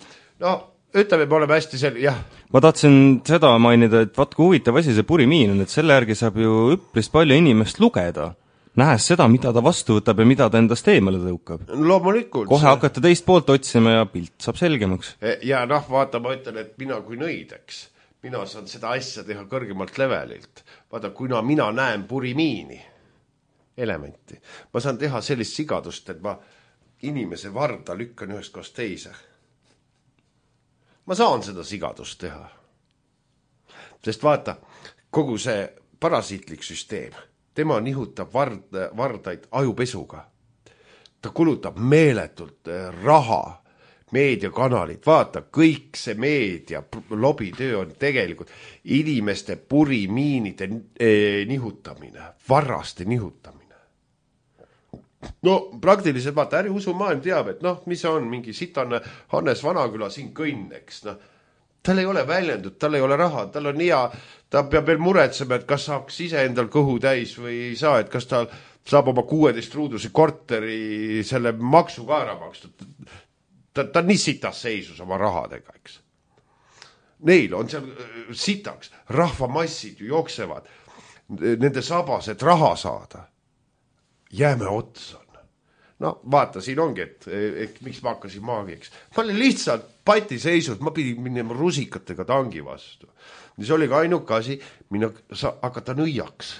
Ütleme, me oleme hästi jah. Ma tahtsin seda mainida, et vaat kui huvitav asi see Purimiin on, et selle järgi saab ju üpris palju inimest lugeda. nähes seda, mida ta vastu võtab ja mida ta endast eemale tõukab. Loomulikult. Kohe hakata teist poolt otsima ja pilt saab selgemaks. Ja vaata, ma ütlen, et mina kui nõideks, mina saan seda asja teha kõrgemalt levelilt. Vaata, kuna mina näen purimiini elementi, ma saan teha sellist sigadust, et ma inimese varda lükkan ühest kohast teise. Ma saan seda sigadust teha. Sest vaata, kogu see parasiitlik süsteem, tema nihutab vardaid ajupesuga. Ta kulutab meeletult raha, meediakanalid, vaata, kõik see meedia lobitöö on tegelikult inimeste purimiinide nihutamine, varraste nihutamine. No praktiliselt vaata, äriusumaailm teab, et mis on mingi sitane Hannes Vanaküla siin kõnneks, tal ei ole väljendud, tal ei ole raha, tal on hea, ta peab veel muretsema, et kas saaks ise endal kõhu täis või ei saa, et kas ta saab oma 16 ruuduse korteri selle maksu ka ära makstud. Ta nii sitas seisus oma rahadega, eks. Neil on seal sitaks, rahvamassid ju jooksevad, nende sabas, et raha saada. Jääme otsa. No vaata, siin ongi, et miks ma hakkasin maagiks. Ma olin lihtsalt pati seisud, ma pidin minema rusikatega tangi vastu. See oli ka ainuke asi, hakata nõiaks.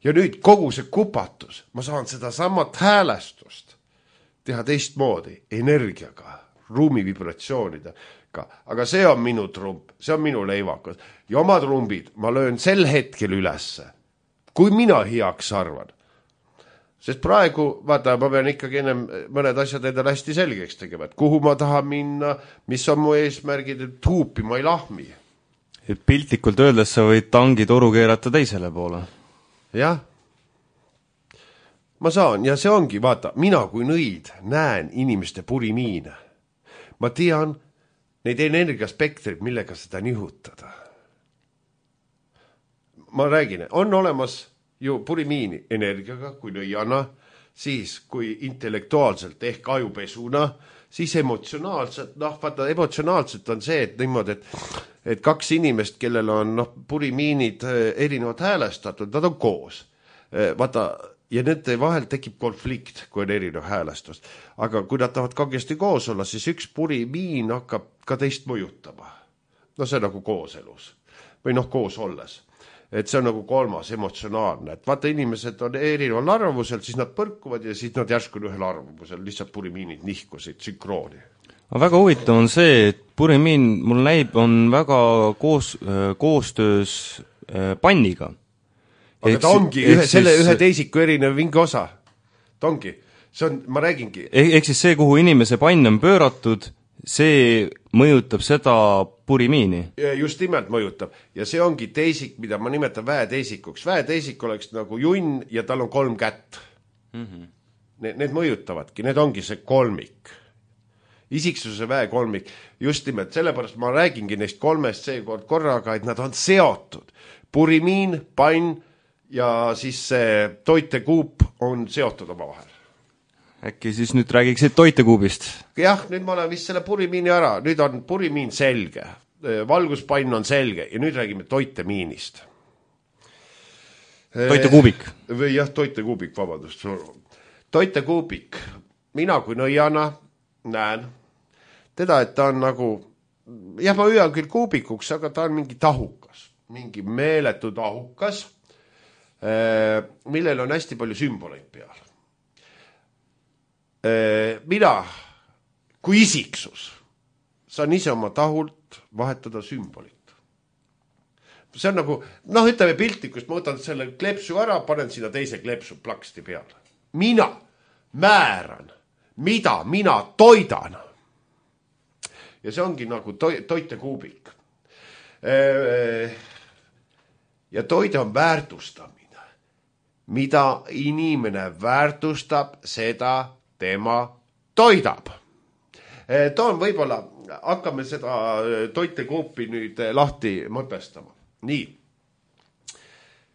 Ja nüüd kogu see kupatus, ma saan seda samat häälestust teha teistmoodi, energiaga, ruumi vibratsioonidega. Aga see on minu trump, see on minu leivakas. Ja oma trumbid ma löön sel hetkel ülesse, kui mina heaks arvan. Sest praegu, vaata, ma pean ikkagi ennem mõned asjad endale hästi selgeks tegema, et kuhu ma tahan minna, mis on mu eesmärgid, et huupi ma ei lahmi. Et piltlikult öeldes sa võid tangi toru keerata teisele poole. Jah. Ma saan, ja see ongi, vaata, mina kui nõid näen inimeste purimiine. Ma tean neid energiaspektreid, millega seda nihutada. Ma räägin, on olemas ju purimiini energiaga, kui nõiana, siis kui intellektuaalselt ehk ajupesuna, siis emotsionaalselt, vaata, emotsionaalselt on see, et niimoodi, et kaks inimest, kellel on purimiinid erinevad häälestatud, nad on koos. Vaata, ja nende vahel tekib konflikt, kui on erinev häälestus. Aga kui nad tahavad kangesti koos olla, siis üks purimiin hakkab ka teist mõjutama. See on nagu kooselus või koos olles. Et see on nagu kolmas emotsionaalne, et vaata, inimesed on erineval arvamusel, siis nad põrkuvad ja siis nad järsku ühel arvamusel, lihtsalt purimiinid nihkusid sünkrooni. Väga huvitav on see, et purimiin, mul näib, on väga koostöös panniga. Aga ta ongi ühe teisiku erinev vinge osa. Ta ongi, see on, ma räägingi. Ehk siis see, kuhu inimese pann on pööratud, see mõjutab seda purimiini. Just nimelt mõjutab. Ja see ongi teisik, mida ma nimetan väeteisikuks. Väeteisik oleks nagu junn ja tal on 3 kätt. Need mõjutavadki, need ongi see kolmik. Isiksuse väekolmik. Just nimelt, sellepärast ma räägingi neist 3 seekord korraga, et nad on seotud. Purimiin, pann ja siis see toitekuup on seotud oma vahel. Äkki siis nüüd räägiksid toitekuubist? Jah, nüüd ma olen vist selle purimiini ära. Nüüd on purimiin selge. Valguspann on selge. Ja nüüd räägime toitemiinist. Toitekuubik. Jah, toitekuubik, vabandust. Toitekuubik. Mina kui nõiana näen teda, et ta on nagu, jah, ma hüüan küll kuubikuks, aga ta on mingi tahukas. Mingi meeletu tahukas, millel on hästi palju sümboleid peal. Mina kui isiksus saan ise oma tahult vahetada sümbolit. See on nagu, ütleme piltlikust, ma võtan selle klepsu ära, panen sinna teise klepsu plaksti peale. Mina määran, mida mina toidan. Ja see ongi nagu toitekuubik. Ja toide on väärtustamine. Mida inimene väärtustab, seda tema toidab. Toon võib-olla, hakkame seda toitekuupi nüüd lahti mõtestama. Nii,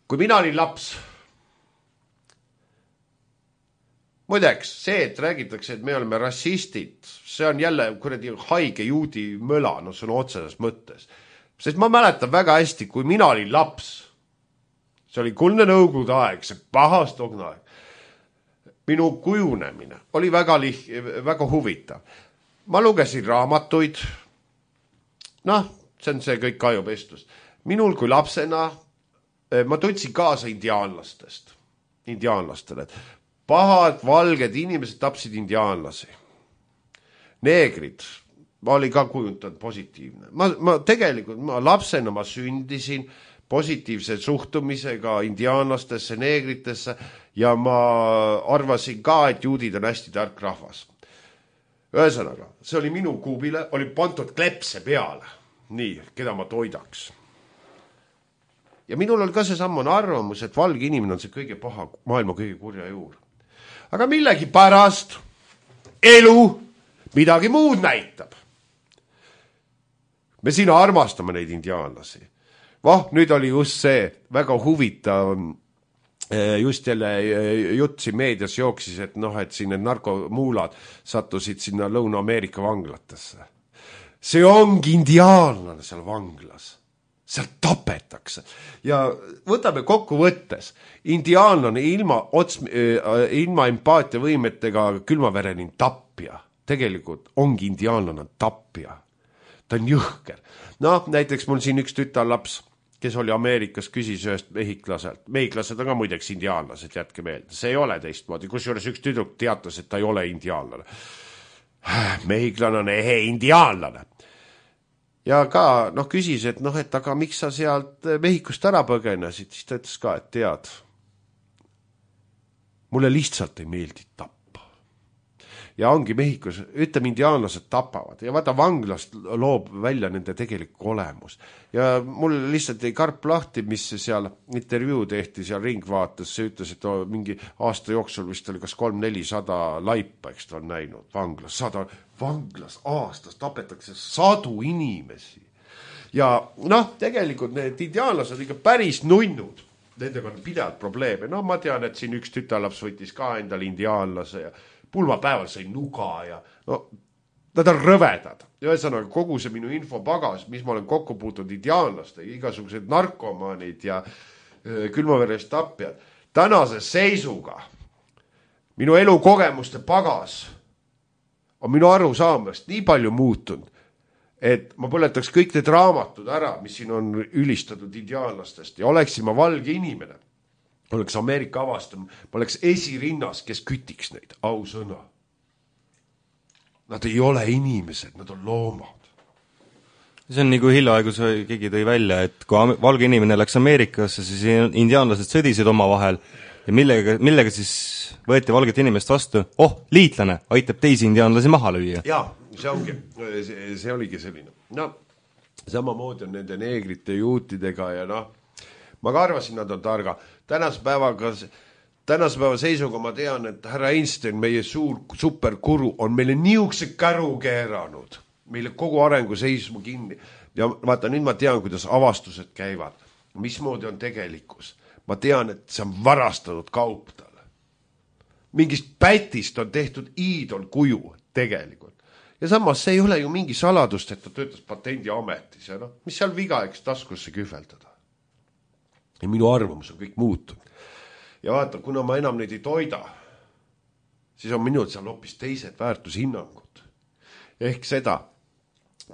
kui mina olin laps, muideks, see, et räägitakse, et me oleme rassistid, see on jälle kuradi haige juudi möla, see on otseses mõttes. Sest ma mäletan väga hästi, kui mina olin laps, see oli kuldne nõukogude aeg, see pahast ogna aeg. Minu kujunemine oli väga huvitav. Ma lugesin raamatuid, noh, see on see kõik ajupestus. Minul kui lapsena ma tundsin kaasa indiaanlastele. Pahad, valged inimesed tapsid indiaanlasi. Neegrid, ma olin ka kujutanud positiivne. Ma lapsena ma sündisin positiivse suhtumisega indiaanlastesse, neegritesse ja ma arvasin ka, et juudid on hästi tark rahvas. Ühesõnaga, see oli minu kuubile, oli pandud klepse peale. Nii, keda ma toidaks. Ja minul on ka see sammane arvamus, et valge inimene on see kõige paha, maailma kõige kurja juur. Aga millegi pärast elu midagi muud näitab. Me siin armastame neid indiaanlasi. Nüüd oli just see väga huvitav, just jälle jutt siin meedias jooksis, et et siin need narkomuulad sattusid sinna Lõuna-Ameerika vanglatesse. See ongi indiaanlane seal vanglas. Seal tapetakse. Ja võtame kokku võttes. Indiaanlane ilma empaatiavõimetega külmavereline tapja. Tegelikult ongi indiaanlane tapja. Ta on jõhker. Näiteks mul siin üks tütarlaps, kes oli Ameerikas, küsis ühest mehiklaselt. Mehiklased on ka muideks indiaanlased, jätke meelde. See ei ole teistmoodi. Kusjuures üks tüdruk teatas, et ta ei ole indiaanlane. Mehiklane on indiaanlane. Ja ka küsis, et aga miks sa sealt Mehhikost ära põgenesid, siis ta ütles ka, et tead, mulle lihtsalt ei meeldi tappa. Ja ongi Mehhikos, ütleme, indiaanlased tapavad ja vaata vanglast loob välja nende tegelik olemus. Ja mul lihtsalt ei karp lahti, mis seal intervjuu tehti seal ringvaates, see ütles, et mingi aasta jooksul vist oli kas 300-400 laipa, eks ta on näinud vanglas, vanglas aastas tapetakse 100 inimesi. Ja tegelikult need indiaanlased ikka päris nunnud, nendega on pidevalt probleeme. Ma tean, et siin üks tütarlaps võttis ka endale indiaanlase ja pulmapäeval sai nuga ja nad on rõvedad. Ühesõnaga, kogu see minu infopagas, mis ma olen kokku puutunud indiaanlaste, igasugused narkomaanid ja külmaverest tapjad. Tänase seisuga minu elukogemuste pagas on minu arusaamast nii palju muutunud, et ma põletaks kõik need raamatud ära, mis siin on ülistatud indiaanlastest ja oleksin ma valge inimene. Oleks Ameerika avastam, ma oleks esirinnas, kes kütiks neid, ausõna. Nad ei ole inimesed, nad on loomad. See on nagu hiljaaegu keegi tõi välja, et kui valge inimene läks Ameerikasse, siis indiaanlased sõdisid omavahel ja millega siis võeti valget inimest vastu? Liitlane aitab teisi indiaanlasi maha lüüa. Jaa, see oligi selline. Samamoodi on nende neegrite juutidega ja ma ka arvasin, nad on targa. Tänase päeva seisuga ma tean, et härra Einstein, meie suur superkuru, on meile niukse käru keeranud. Meile kogu arengu seisma kinni. Ja vaata, nüüd ma tean, kuidas avastused käivad. Mismoodi on tegelikkus. Ma tean, et see on varastanud kaup talle. Mingist pätist on tehtud iidol kuju tegelikult. Ja samas see ei ole ju mingi saladust, et ta töötas patendiametis. Ja mis seal viga, eks taskusse kühveldada. Ja minu arvamus on kõik muutunud. Ja vaata, kuna ma enam neid ei toida, siis on minul seal hoopis teised väärtushinnangud. Ehk seda,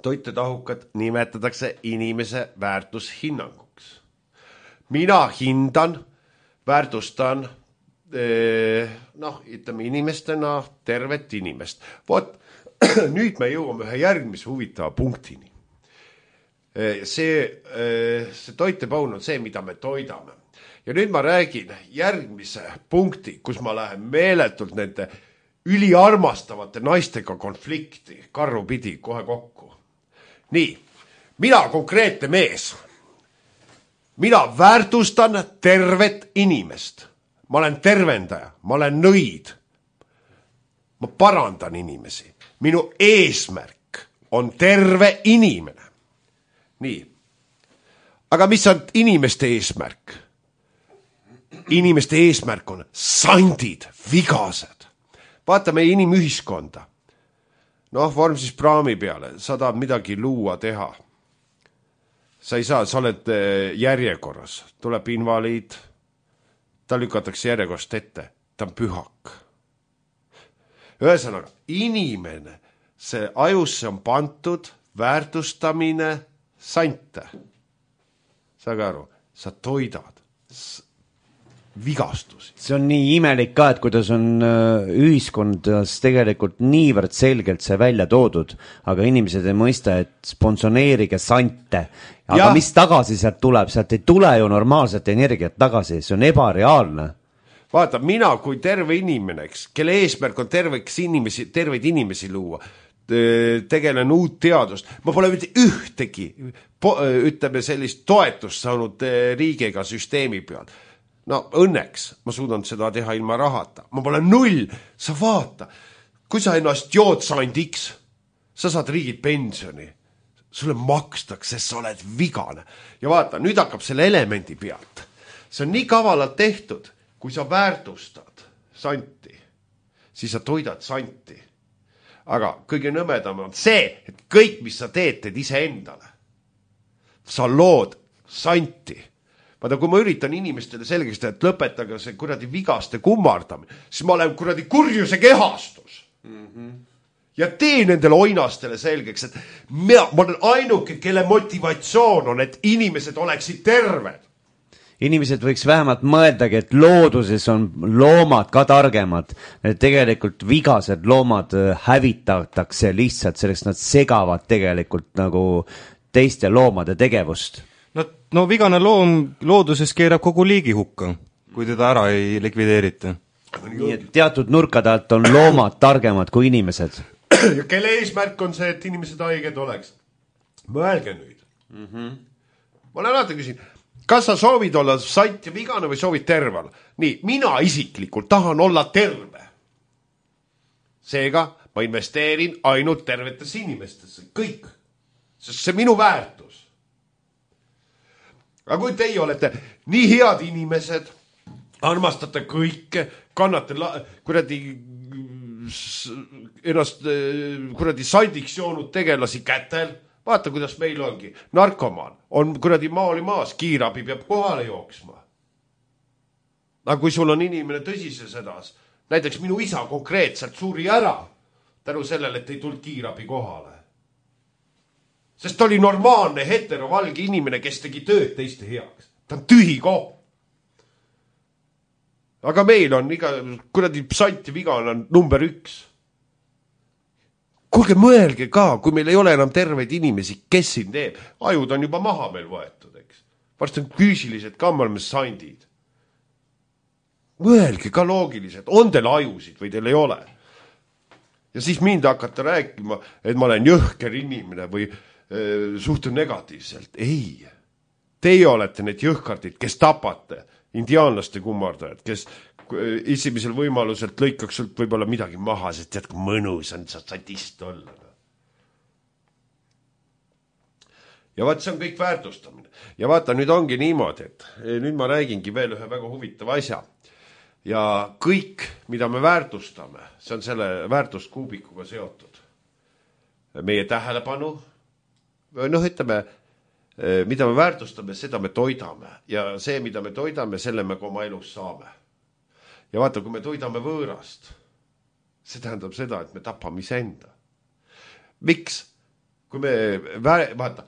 toitetahukad nimetatakse inimese väärtushinnanguks. Mina hindan, väärtustan, ütleme inimestena tervet inimest. Nüüd me jõuame ühe järgmise huvitava punktini. See toitepaun on see, mida me toidame. Ja nüüd ma räägin järgmise punkti, kus ma lähen meeletult nende üliarmastavate naistega konflikti karru pidi kohe kokku. Nii, mina konkreetne mees. Mina väärtustan tervet inimest. Ma olen tervendaja, ma olen nõid. Ma parandan inimesi. Minu eesmärk on terve inimene. Nii. Aga mis on inimeste eesmärk? Inimeste eesmärk on sandid, vigased. Vaatame inimühiskonda. Vorm siis praami peale, sa tahad midagi luua, teha. Sa ei saa, sa oled järjekorras. Tuleb invaliid, ta lükatakse järjekost ette, ta on pühak. Ühesõnaga, inimene, see ajusse on pantud väärtustamine sante. Saage aru, sa toidad vigastusi. See on nii imelik ka, et kuidas on ühiskondas tegelikult niivõrd selgelt see välja toodud, aga inimesed ei mõista, et sponsoneerige sante. Aga mis tagasi sealt tuleb? Sealt ei tule ju normaalset energiat tagasi, see on ebareaalne. Vaata, mina kui terve inimeneks, kelle eesmärk on terveid inimesi luua, tegelen uut teadust. Ma pole mitte ühtegi, ütleme sellist toetust saanud riigiga süsteemi peal. No õnneks ma suudan seda teha ilma rahata. Ma pole 0, sa vaata, kui sa ennast jood sandiks, sa saad riigilt pensioni, sulle makstakse, sa oled vigane. Ja vaata, nüüd hakkab selle elemendi pealt. See on nii kavalalt tehtud, kui sa väärtustad santi, siis sa toidad santi. Aga kõige nõmedam on see, et kõik, mis sa teed ise endale. Sa lood santi. Vaata, kui ma üritan inimestele selgeks teha, et lõpetage see kuradi vigaste kummardamine, siis ma olen kuradi kurjuse kehastus. Ja tee nendele oinastele selgeks, et ma olen ainuke, kelle motivatsioon on, et inimesed oleksid terved. Inimesed võiks vähemalt mõeldagi, et looduses on loomad ka targemad. Tegelikult vigased loomad hävitatakse lihtsalt, selleks nad segavad tegelikult nagu teiste loomade tegevust. No vigane loom looduses keerab kogu liigi hukka, kui teda ära ei likvideerita. Nii et teatud nurkade alt on loomad targemad kui inimesed. Ja kelle eesmärk on see, et inimesed haiged oleks? Mõelge nüüd. Ma olen alati küsin, kas sa soovid olla sant ja vigane või soovid tervel? Nii, mina isiklikult tahan olla terve. Seega ma investeerin ainult tervetesse inimestesse. Kõik. Sest see minu väärtus. Aga kui teie olete nii head inimesed, armastate kõike, kannate kuradi sandiks joonud tegelasi kätel, vaata, kuidas meil ongi. Narkomaan on kuradi maali maas, kiirabi peab kohale jooksma. Aga kui sul on inimene tõsises hädas, näiteks minu isa konkreetselt suri ära tänu sellele, et ei tulnud kiirabi kohale. Sest ta oli normaalne heterovalge inimene, kes tegi tööd teiste heaks. Ta on tühi koht. Aga meil on kuradi sant ja vigane on number 1. Kuulge, mõelge ka, kui meil ei ole enam terveid inimesi, kes siin teeb. Ajud on juba maha meil võetud, eks. Varsti on füüsilised ka, me oleme sandid. Mõelge ka loogiliselt, on teil ajusid või teil ei ole. Ja siis mind hakata rääkima, et ma olen jõhker inimene või suhtun negatiivselt. Ei. Teie olete need jõhkardid, kes tapate indiaanlaste kummardajad, kes esimesel võimaluselt lõikaks sult võib-olla midagi maha, sest tead, kui mõnus on sa sadist olla. Ja vaat see on kõik väärtustamine. Ja vaata, nüüd ongi niimoodi, et nüüd ma räägingi veel ühe väga huvitava asja. Ja kõik, mida me väärtustame, see on selle väärtuskuubikuga seotud. Meie tähelepanu, ütleme, mida me väärtustame, seda me toidame. Ja see, mida me toidame, selle me oma elus saame. Ja vaata, kui me toidame võõrast, see tähendab seda, et me tapame iseenda. Miks? Kui me, vaata,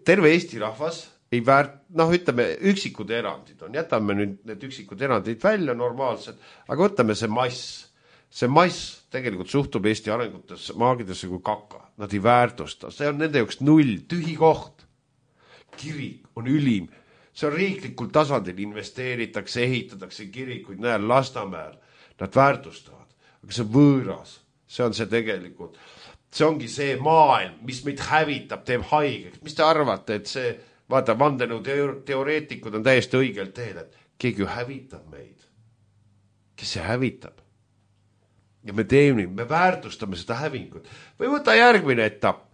terve Eesti rahvas ei ütleme, üksikud erandid on. Jätame nüüd need üksikud erandid välja normaalselt, aga võtame see mass. See mass tegelikult suhtub Eesti arengutesse, maagidesse kui kaka. Nad ei väärtusta. See on nende jaoks 0, tühi koht. Kirik on ülim. See on riiklikul tasandil, investeeritakse, ehitatakse kirikuid, näel Lasnamäel. Nad väärtustavad. Aga see võõras, see on see tegelikult. See ongi see maailm, mis meid hävitab, teeb haigeks. Mis te arvate, et see, vaata, vandenõu teoreetikud on täiesti õigelt teel, et keegi hävitab meid. Kes see hävitab? Ja me teeme, me väärtustame seda hävingut. Või võta järgmine etapp.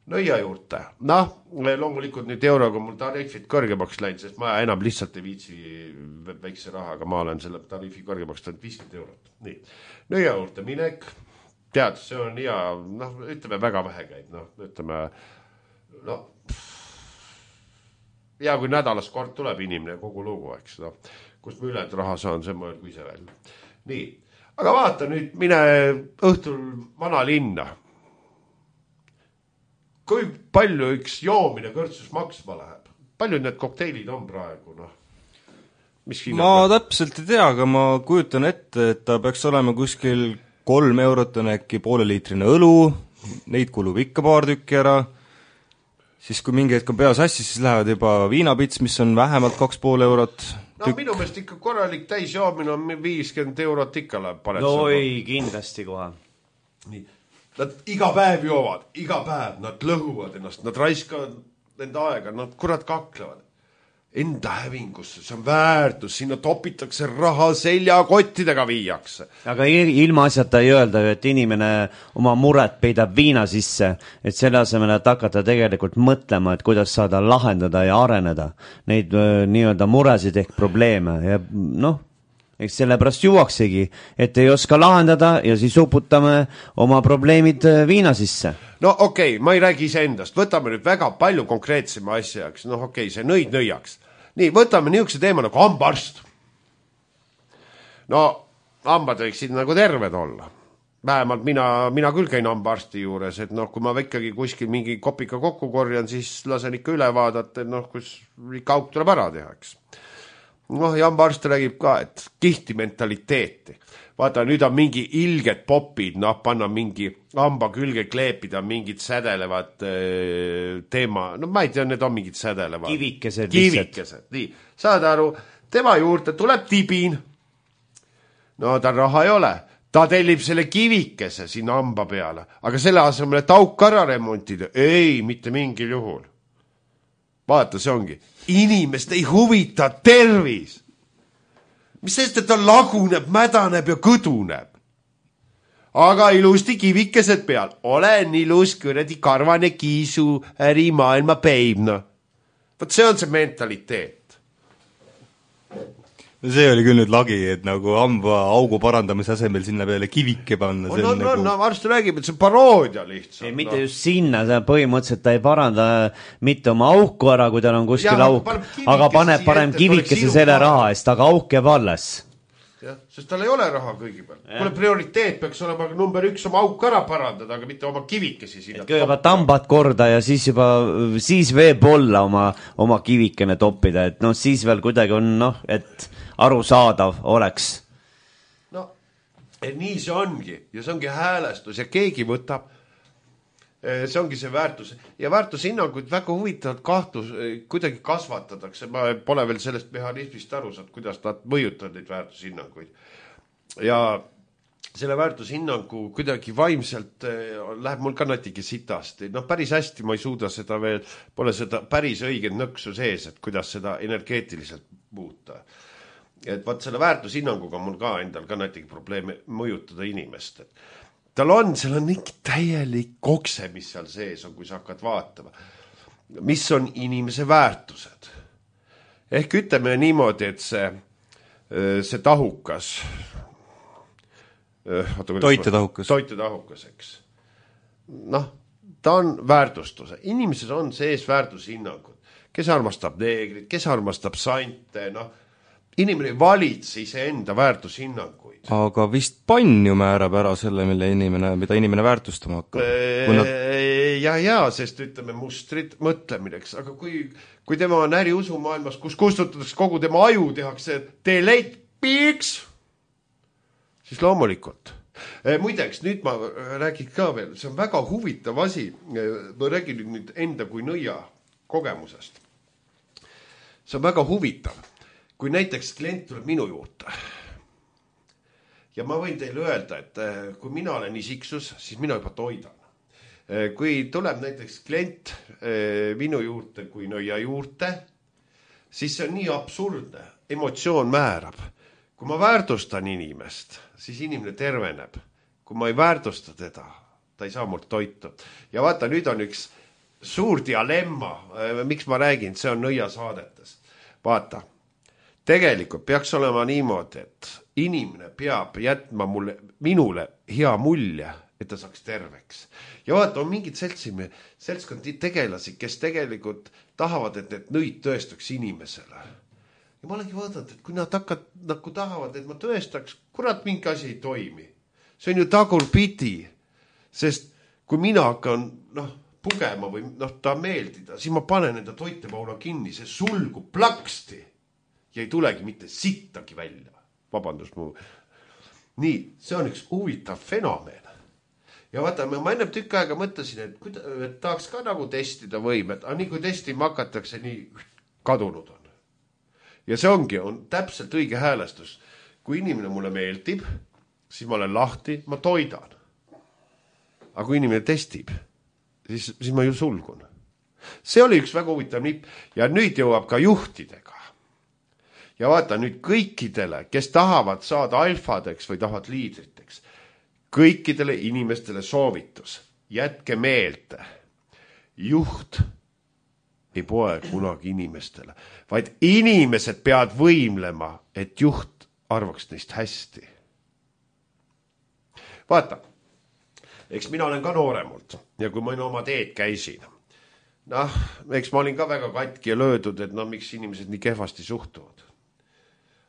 Nõia juurde. Loomulikult nüüd euroga mul tariifid kõrgemaks läinud, sest ma enam lihtsalt ei viitsi väikse rahaga, ma olen selle tariifi kõrgemaks läinud 50 eurot. Nii. Nõia juurde minek, tead, see on hea, ütleme väga vähe käib, ütleme, hea kui nädalas kord tuleb inimene kogu lugu, eks. kust ma ülejäänud raha saan, see mõelgu ise välja. Nii, aga vaata nüüd, mine õhtul vanalinna. Kui palju üks joomine kõrtsus maksma läheb? Palju need kokteilid on praegu, noh? Ma täpselt ei tea, aga ma kujutan ette, et ta peaks olema kuskil 3 eurot on äkki pooleliitrine õlu, neid kulub ikka paar tükki ära, siis kui mingi hetk on pea sassis, siis lähevad juba viinapits, mis on vähemalt 2,5 eurot. No minu meelest ikka korralik täisjoomine on 50 eurot ikka läheb. No ei, kindlasti kohe. Nii. Nad iga päev joovad, iga päev, nad lõhuvad ennast, nad raiskavad enda aega, nad kurat kaklevad. Enda hävingusse, see on väärtus, sinna topitakse raha, seljakottidega viiakse. Aga ilma asjata ei öelda, et inimene oma muret peidab viina sisse, et selle asemel, et hakata tegelikult mõtlema, et kuidas saada lahendada ja areneda neid nii-öelda muresid ehk probleeme ja noh, eks sellepärast juuaksegi, et ei oska lahendada ja siis uputame oma probleemid viina sisse. No okei, ma ei räägi iseendast, võtame nüüd väga palju konkreetsema asjaks, noh okei, see nõiaks. Nii, võtame niisuguse teema nagu hambaarst. No, hambad võiksid nagu terved olla. Vähemalt mina küll käin hambaarsti juures, et noh, kui ma ikkagi kuskil mingi kopika kokku korjan, siis lasen ikka üle vaadata, et noh, kus ikka auk tuleb ära tehaks. Noh, ja hambaarst räägib ka, et kihti mentaliteeti. Vaata, nüüd on mingi ilged popid, noh, panna mingi hamba külge kleepida, mingid sädelevad teema, no ma ei tea, need on mingid sädelevad. Kivikesed. Nii, saad aru, tema juurde tuleb tibin. No tal raha ei ole. Ta tellib selle kivikese sinna hamba peale, aga selle asemel, et auk ära remontida, ei, mitte mingil juhul. Vaata, see ongi. Inimest ei huvita tervis. Mis sest, et ta laguneb, mädaneb ja kõduneb. Aga ilusti kivikesed peal. Olen ilus kuradi karvane kiisu ärimaailma peibna. Võt see on see mentaliteet. No see oli küll nüüd lagi, et nagu hamba augu parandamise asemel sinna peale kivike panna. No arst räägib, et see paroodia lihtsalt. Ei, mitte just sinna, see põhimõtteliselt ta ei paranda mitte oma auku ära, kui tal on kuskil auk, aga paneb parem kivikese selle raha eest, aga auk jääb alles. jah, sest tal ei ole raha kõigepealt. Kuule, prioriteet peaks olema number 1 oma auk ära parandada, aga mitte oma kivikesi sinna. Kõigepealt tambad korda ja siis juba, siis võib-olla oma kivikene toppida, et noh, siis veel kuidagi on, noh, et arusaadav oleks. No, nii see ongi ja see ongi häälestus ja keegi võtab, see ongi see väärtus ja väärtushinnanguid väga huvitavad kahtlus, kuidagi kasvatatakse, ma pole veel sellest mehhanismist aru saanud, kuidas nad mõjutavad neid väärtushinnanguid ja selle väärtushinnangu kuidagi vaimselt läheb mul ka natuke sitasti, noh päris hästi ma ei suuda seda veel, pole seda päris õiget nõksu sees, et kuidas seda energeetiliselt muuta. Et vaat selle väärtushinnanguga mul ka endal ka natuke probleeme mõjutada inimest, et tal on, seal on ikka täielik kokse, mis seal sees on, kui sa hakkad vaatama. Mis on inimese väärtused? Ehk ütleme niimoodi, et see tahukas, toitetahukas, eks. Noh, ta on väärtustuse. Inimesed on sees väärtushinnangud. Kes armastab neegrit, kes armastab sante, noh, inimene ei valitse iseenda väärtushinnanguid. Aga vist pann ju määrab ära selle, mida inimene väärtustama hakkab. Ja, sest ütleme mustrid mõtlemineks, aga kui tema on äriusumaailmas, kus kustutatakse kogu tema aju, tehakse delete piiks, siis loomulikult. Muideks, nüüd ma räägin ka veel, see on väga huvitav asi, ma räägin nüüd enda kui nõia kogemusest. See on väga huvitav. Kui näiteks klient tuleb minu juurde ja ma võin teile öelda, et kui mina olen isiksus, siis mina juba toidan. Kui tuleb näiteks klient minu juurde kui nõia juurde, siis see on nii absurdne, emotsioon määrab. Kui ma väärtustan inimest, siis inimene terveneb. Kui ma ei väärtusta teda, ta ei saa mult toitu. Ja vaata, nüüd on üks suur dilemma, miks ma räägin, see on nõia saadetes. Vaata. Tegelikult peaks olema niimoodi, et inimene peab jätma minule hea mulje, et ta saaks terveks. Ja vaata, on mingid seltskond tegelasi, kes tegelikult tahavad, et need nõid tõestaks inimesele. ja ma olengi vaadanud, et kui nad nagu tahavad, et ma tõestaks, kurat, mingi asi ei toimi. See on ju tagurpidi, sest kui mina hakkan pugema või ta meeldida, siis ma panen enda toitepaula kinni, see sulgub plaksti ja ei tulegi mitte sittagi välja. Vabandust mu. Nii, see on üks huvitav fenomen. Ja vaata, ma enne tükk aega mõtlesin, et tahaks ka nagu testida võimet, aga nii kui testima hakatakse, nii kadunud on. Ja see on täpselt õige häälestus. Kui inimene mulle meeldib, siis ma olen lahti, ma toidan. Aga kui inimene testib, siis ma ju sulgun. See oli üks väga huvitav nipp ja nüüd jõuab ka juhtidega. Ja vaata nüüd kõikidele, kes tahavad saada alfadeks või tahavad liidriteks, kõikidele inimestele soovitus. Jätke meelde, juht ei poe kunagi inimestele, vaid inimesed peavad võimlema, et juht arvaks neist hästi. Vaata, eks mina olen ka nooremalt ja kui ma oma teed käisin, eks ma olin ka väga katki ja löödud, et miks inimesed nii kehvasti suhtuvad.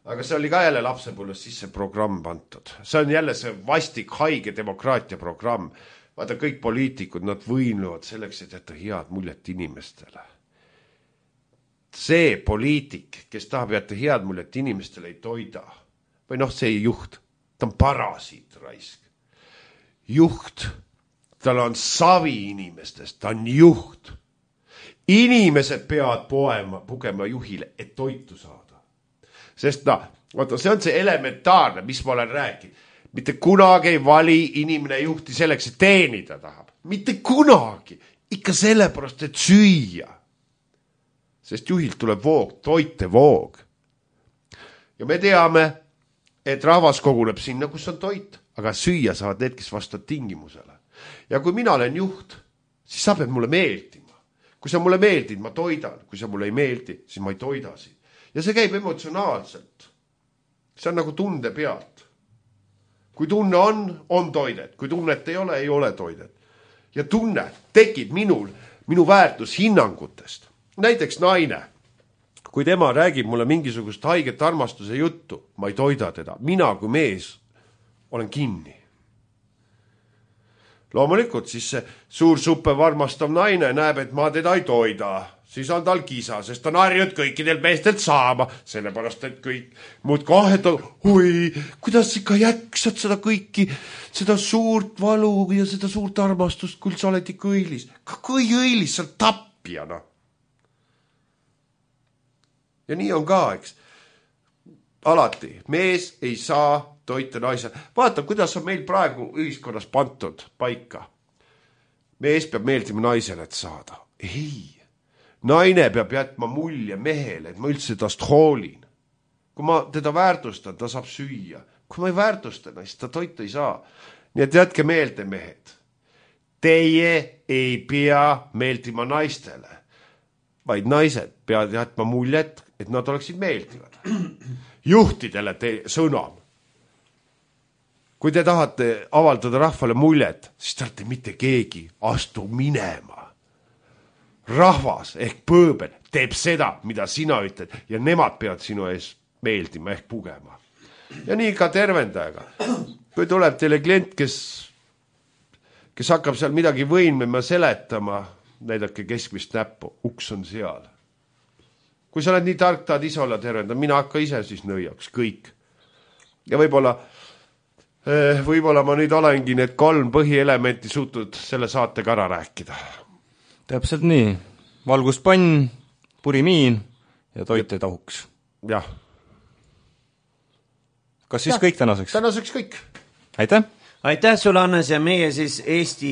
Aga see oli ka jälle lapsepõlves sisse programm pantud. See on jälle see vastik haige demokraatia programm. Vaata, kõik poliitikud, nad võimlevad selleks, et jätta head muljet inimestele. See poliitik, kes tahab jätta head muljet inimestele, ei toida. Või see ei juht. Ta on parasiit raisk. Juht. Tal on savi inimestest. Ta on juht. Inimesed peavad pugema juhile, et toitu saada. Sest vaata, see on see elementaarne, mis ma olen rääkinud. Mitte kunagi ei vali inimene juhti selleks, et teenida tahab. Mitte kunagi. Ikka sellepärast, et süüa. Sest juhilt tuleb voog, toitevoog. Ja me teame, et rahvas koguneb sinna, kus on toit, aga süüa saavad need, kes vastavad tingimusele. Ja kui mina olen juht, siis sa pead mulle meeldima. Kui sa mulle meeldid, ma toidan. Kui sa mulle ei meeldi, siis ma ei toida sind. Ja see käib emotsionaalselt. See on nagu tunde pealt. Kui tunne on toidet. Kui tunnet ei ole toidet. Ja tunne tekib minu väärtushinnangutest. Näiteks naine. Kui tema räägib mulle mingisugust haiget armastuse juttu, ma ei toida teda. Mina kui mees olen kinni. Loomulikult siis see suur suppev armastav naine näeb, et ma teda ei toida. Siis on tal kisa, sest on harjunud kõikidel meestelt saama, sellepärast, et kõik muud kahed on, kuidas ikka jäksad seda kõiki, seda suurt valu ja seda suurt armastust, kui sa oled ikka õilis. Kui õilis, sa oled tapjana. Ja nii on ka, eks. Alati, mees ei saa toita naise. Vaata, kuidas on meil praegu ühiskonnas pantud paika. Mees peab meeldima naisele, et saada. Ei. Naine peab jätma mulje mehele, et ma üldse tast hoolin. Kui ma teda väärtustan, ta saab süüa. Kui ma ei väärtustan, siis ta toitu ei saa. Nii et jätke meelde, mehed. Teie ei pea meeldima naistele, vaid naised peavad jätma muljet, et nad oleksid meeldivad. Juhtidele sõnam. Kui te tahate avaldada rahvale muljet, siis te olete mitte keegi, astu minema. Rahvas ehk pööbel teeb seda, mida sina ütled ja nemad peavad sinu ees meeldima ehk pugema. Ja nii ka tervendajaga. Kui tuleb teile klient, kes hakkab seal midagi võimlema seletama, näidake keskmist näppu, uks on seal. Kui sa oled nii tark, tahad ise olla tervendaja, mina hakka ise siis nõiaks, kõik. Ja võib-olla ma nüüd olengi need 3 põhielementi suutnud selle saatega ära rääkida. Täpselt nii. Valguspann, purimiin ja toit ei tahuks. Jah. Kas siis kõik tänaseks? Tänaseks kõik. Aitäh! Aitäh sulle, Hannes, ja meie siis Eesti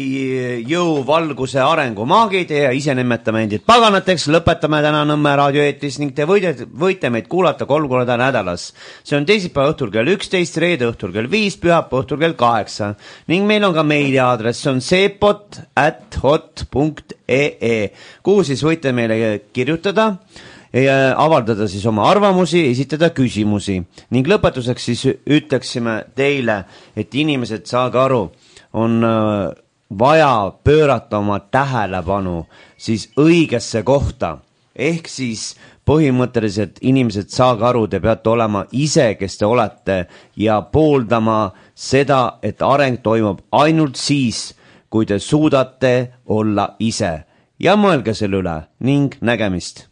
jõuvalguse arengumaagid ja isenimetame endid paganateks, lõpetame täna Nõmme raadioeetris ning te võite meid kuulata 3 korda nädalas. See on teisipäeva õhtul kell 11, reede õhtul kell 5, pühapäeva õhtul kell 8 ning meil on ka meiliaadress, see on sepot@hot.ee, kuhu siis võite meile kirjutada ja avaldada siis oma arvamusi, esitada küsimusi. Ning lõpetuseks siis ütleksime teile, et inimesed, saage aru, on vaja pöörata oma tähelepanu siis õigesse kohta. ehk siis põhimõtteliselt inimesed, saage aru, te peate olema ise, kes te olete ja pooldama seda, et areng toimub ainult siis, kui te suudate olla ise ja mõelge selle üle ning nägemist.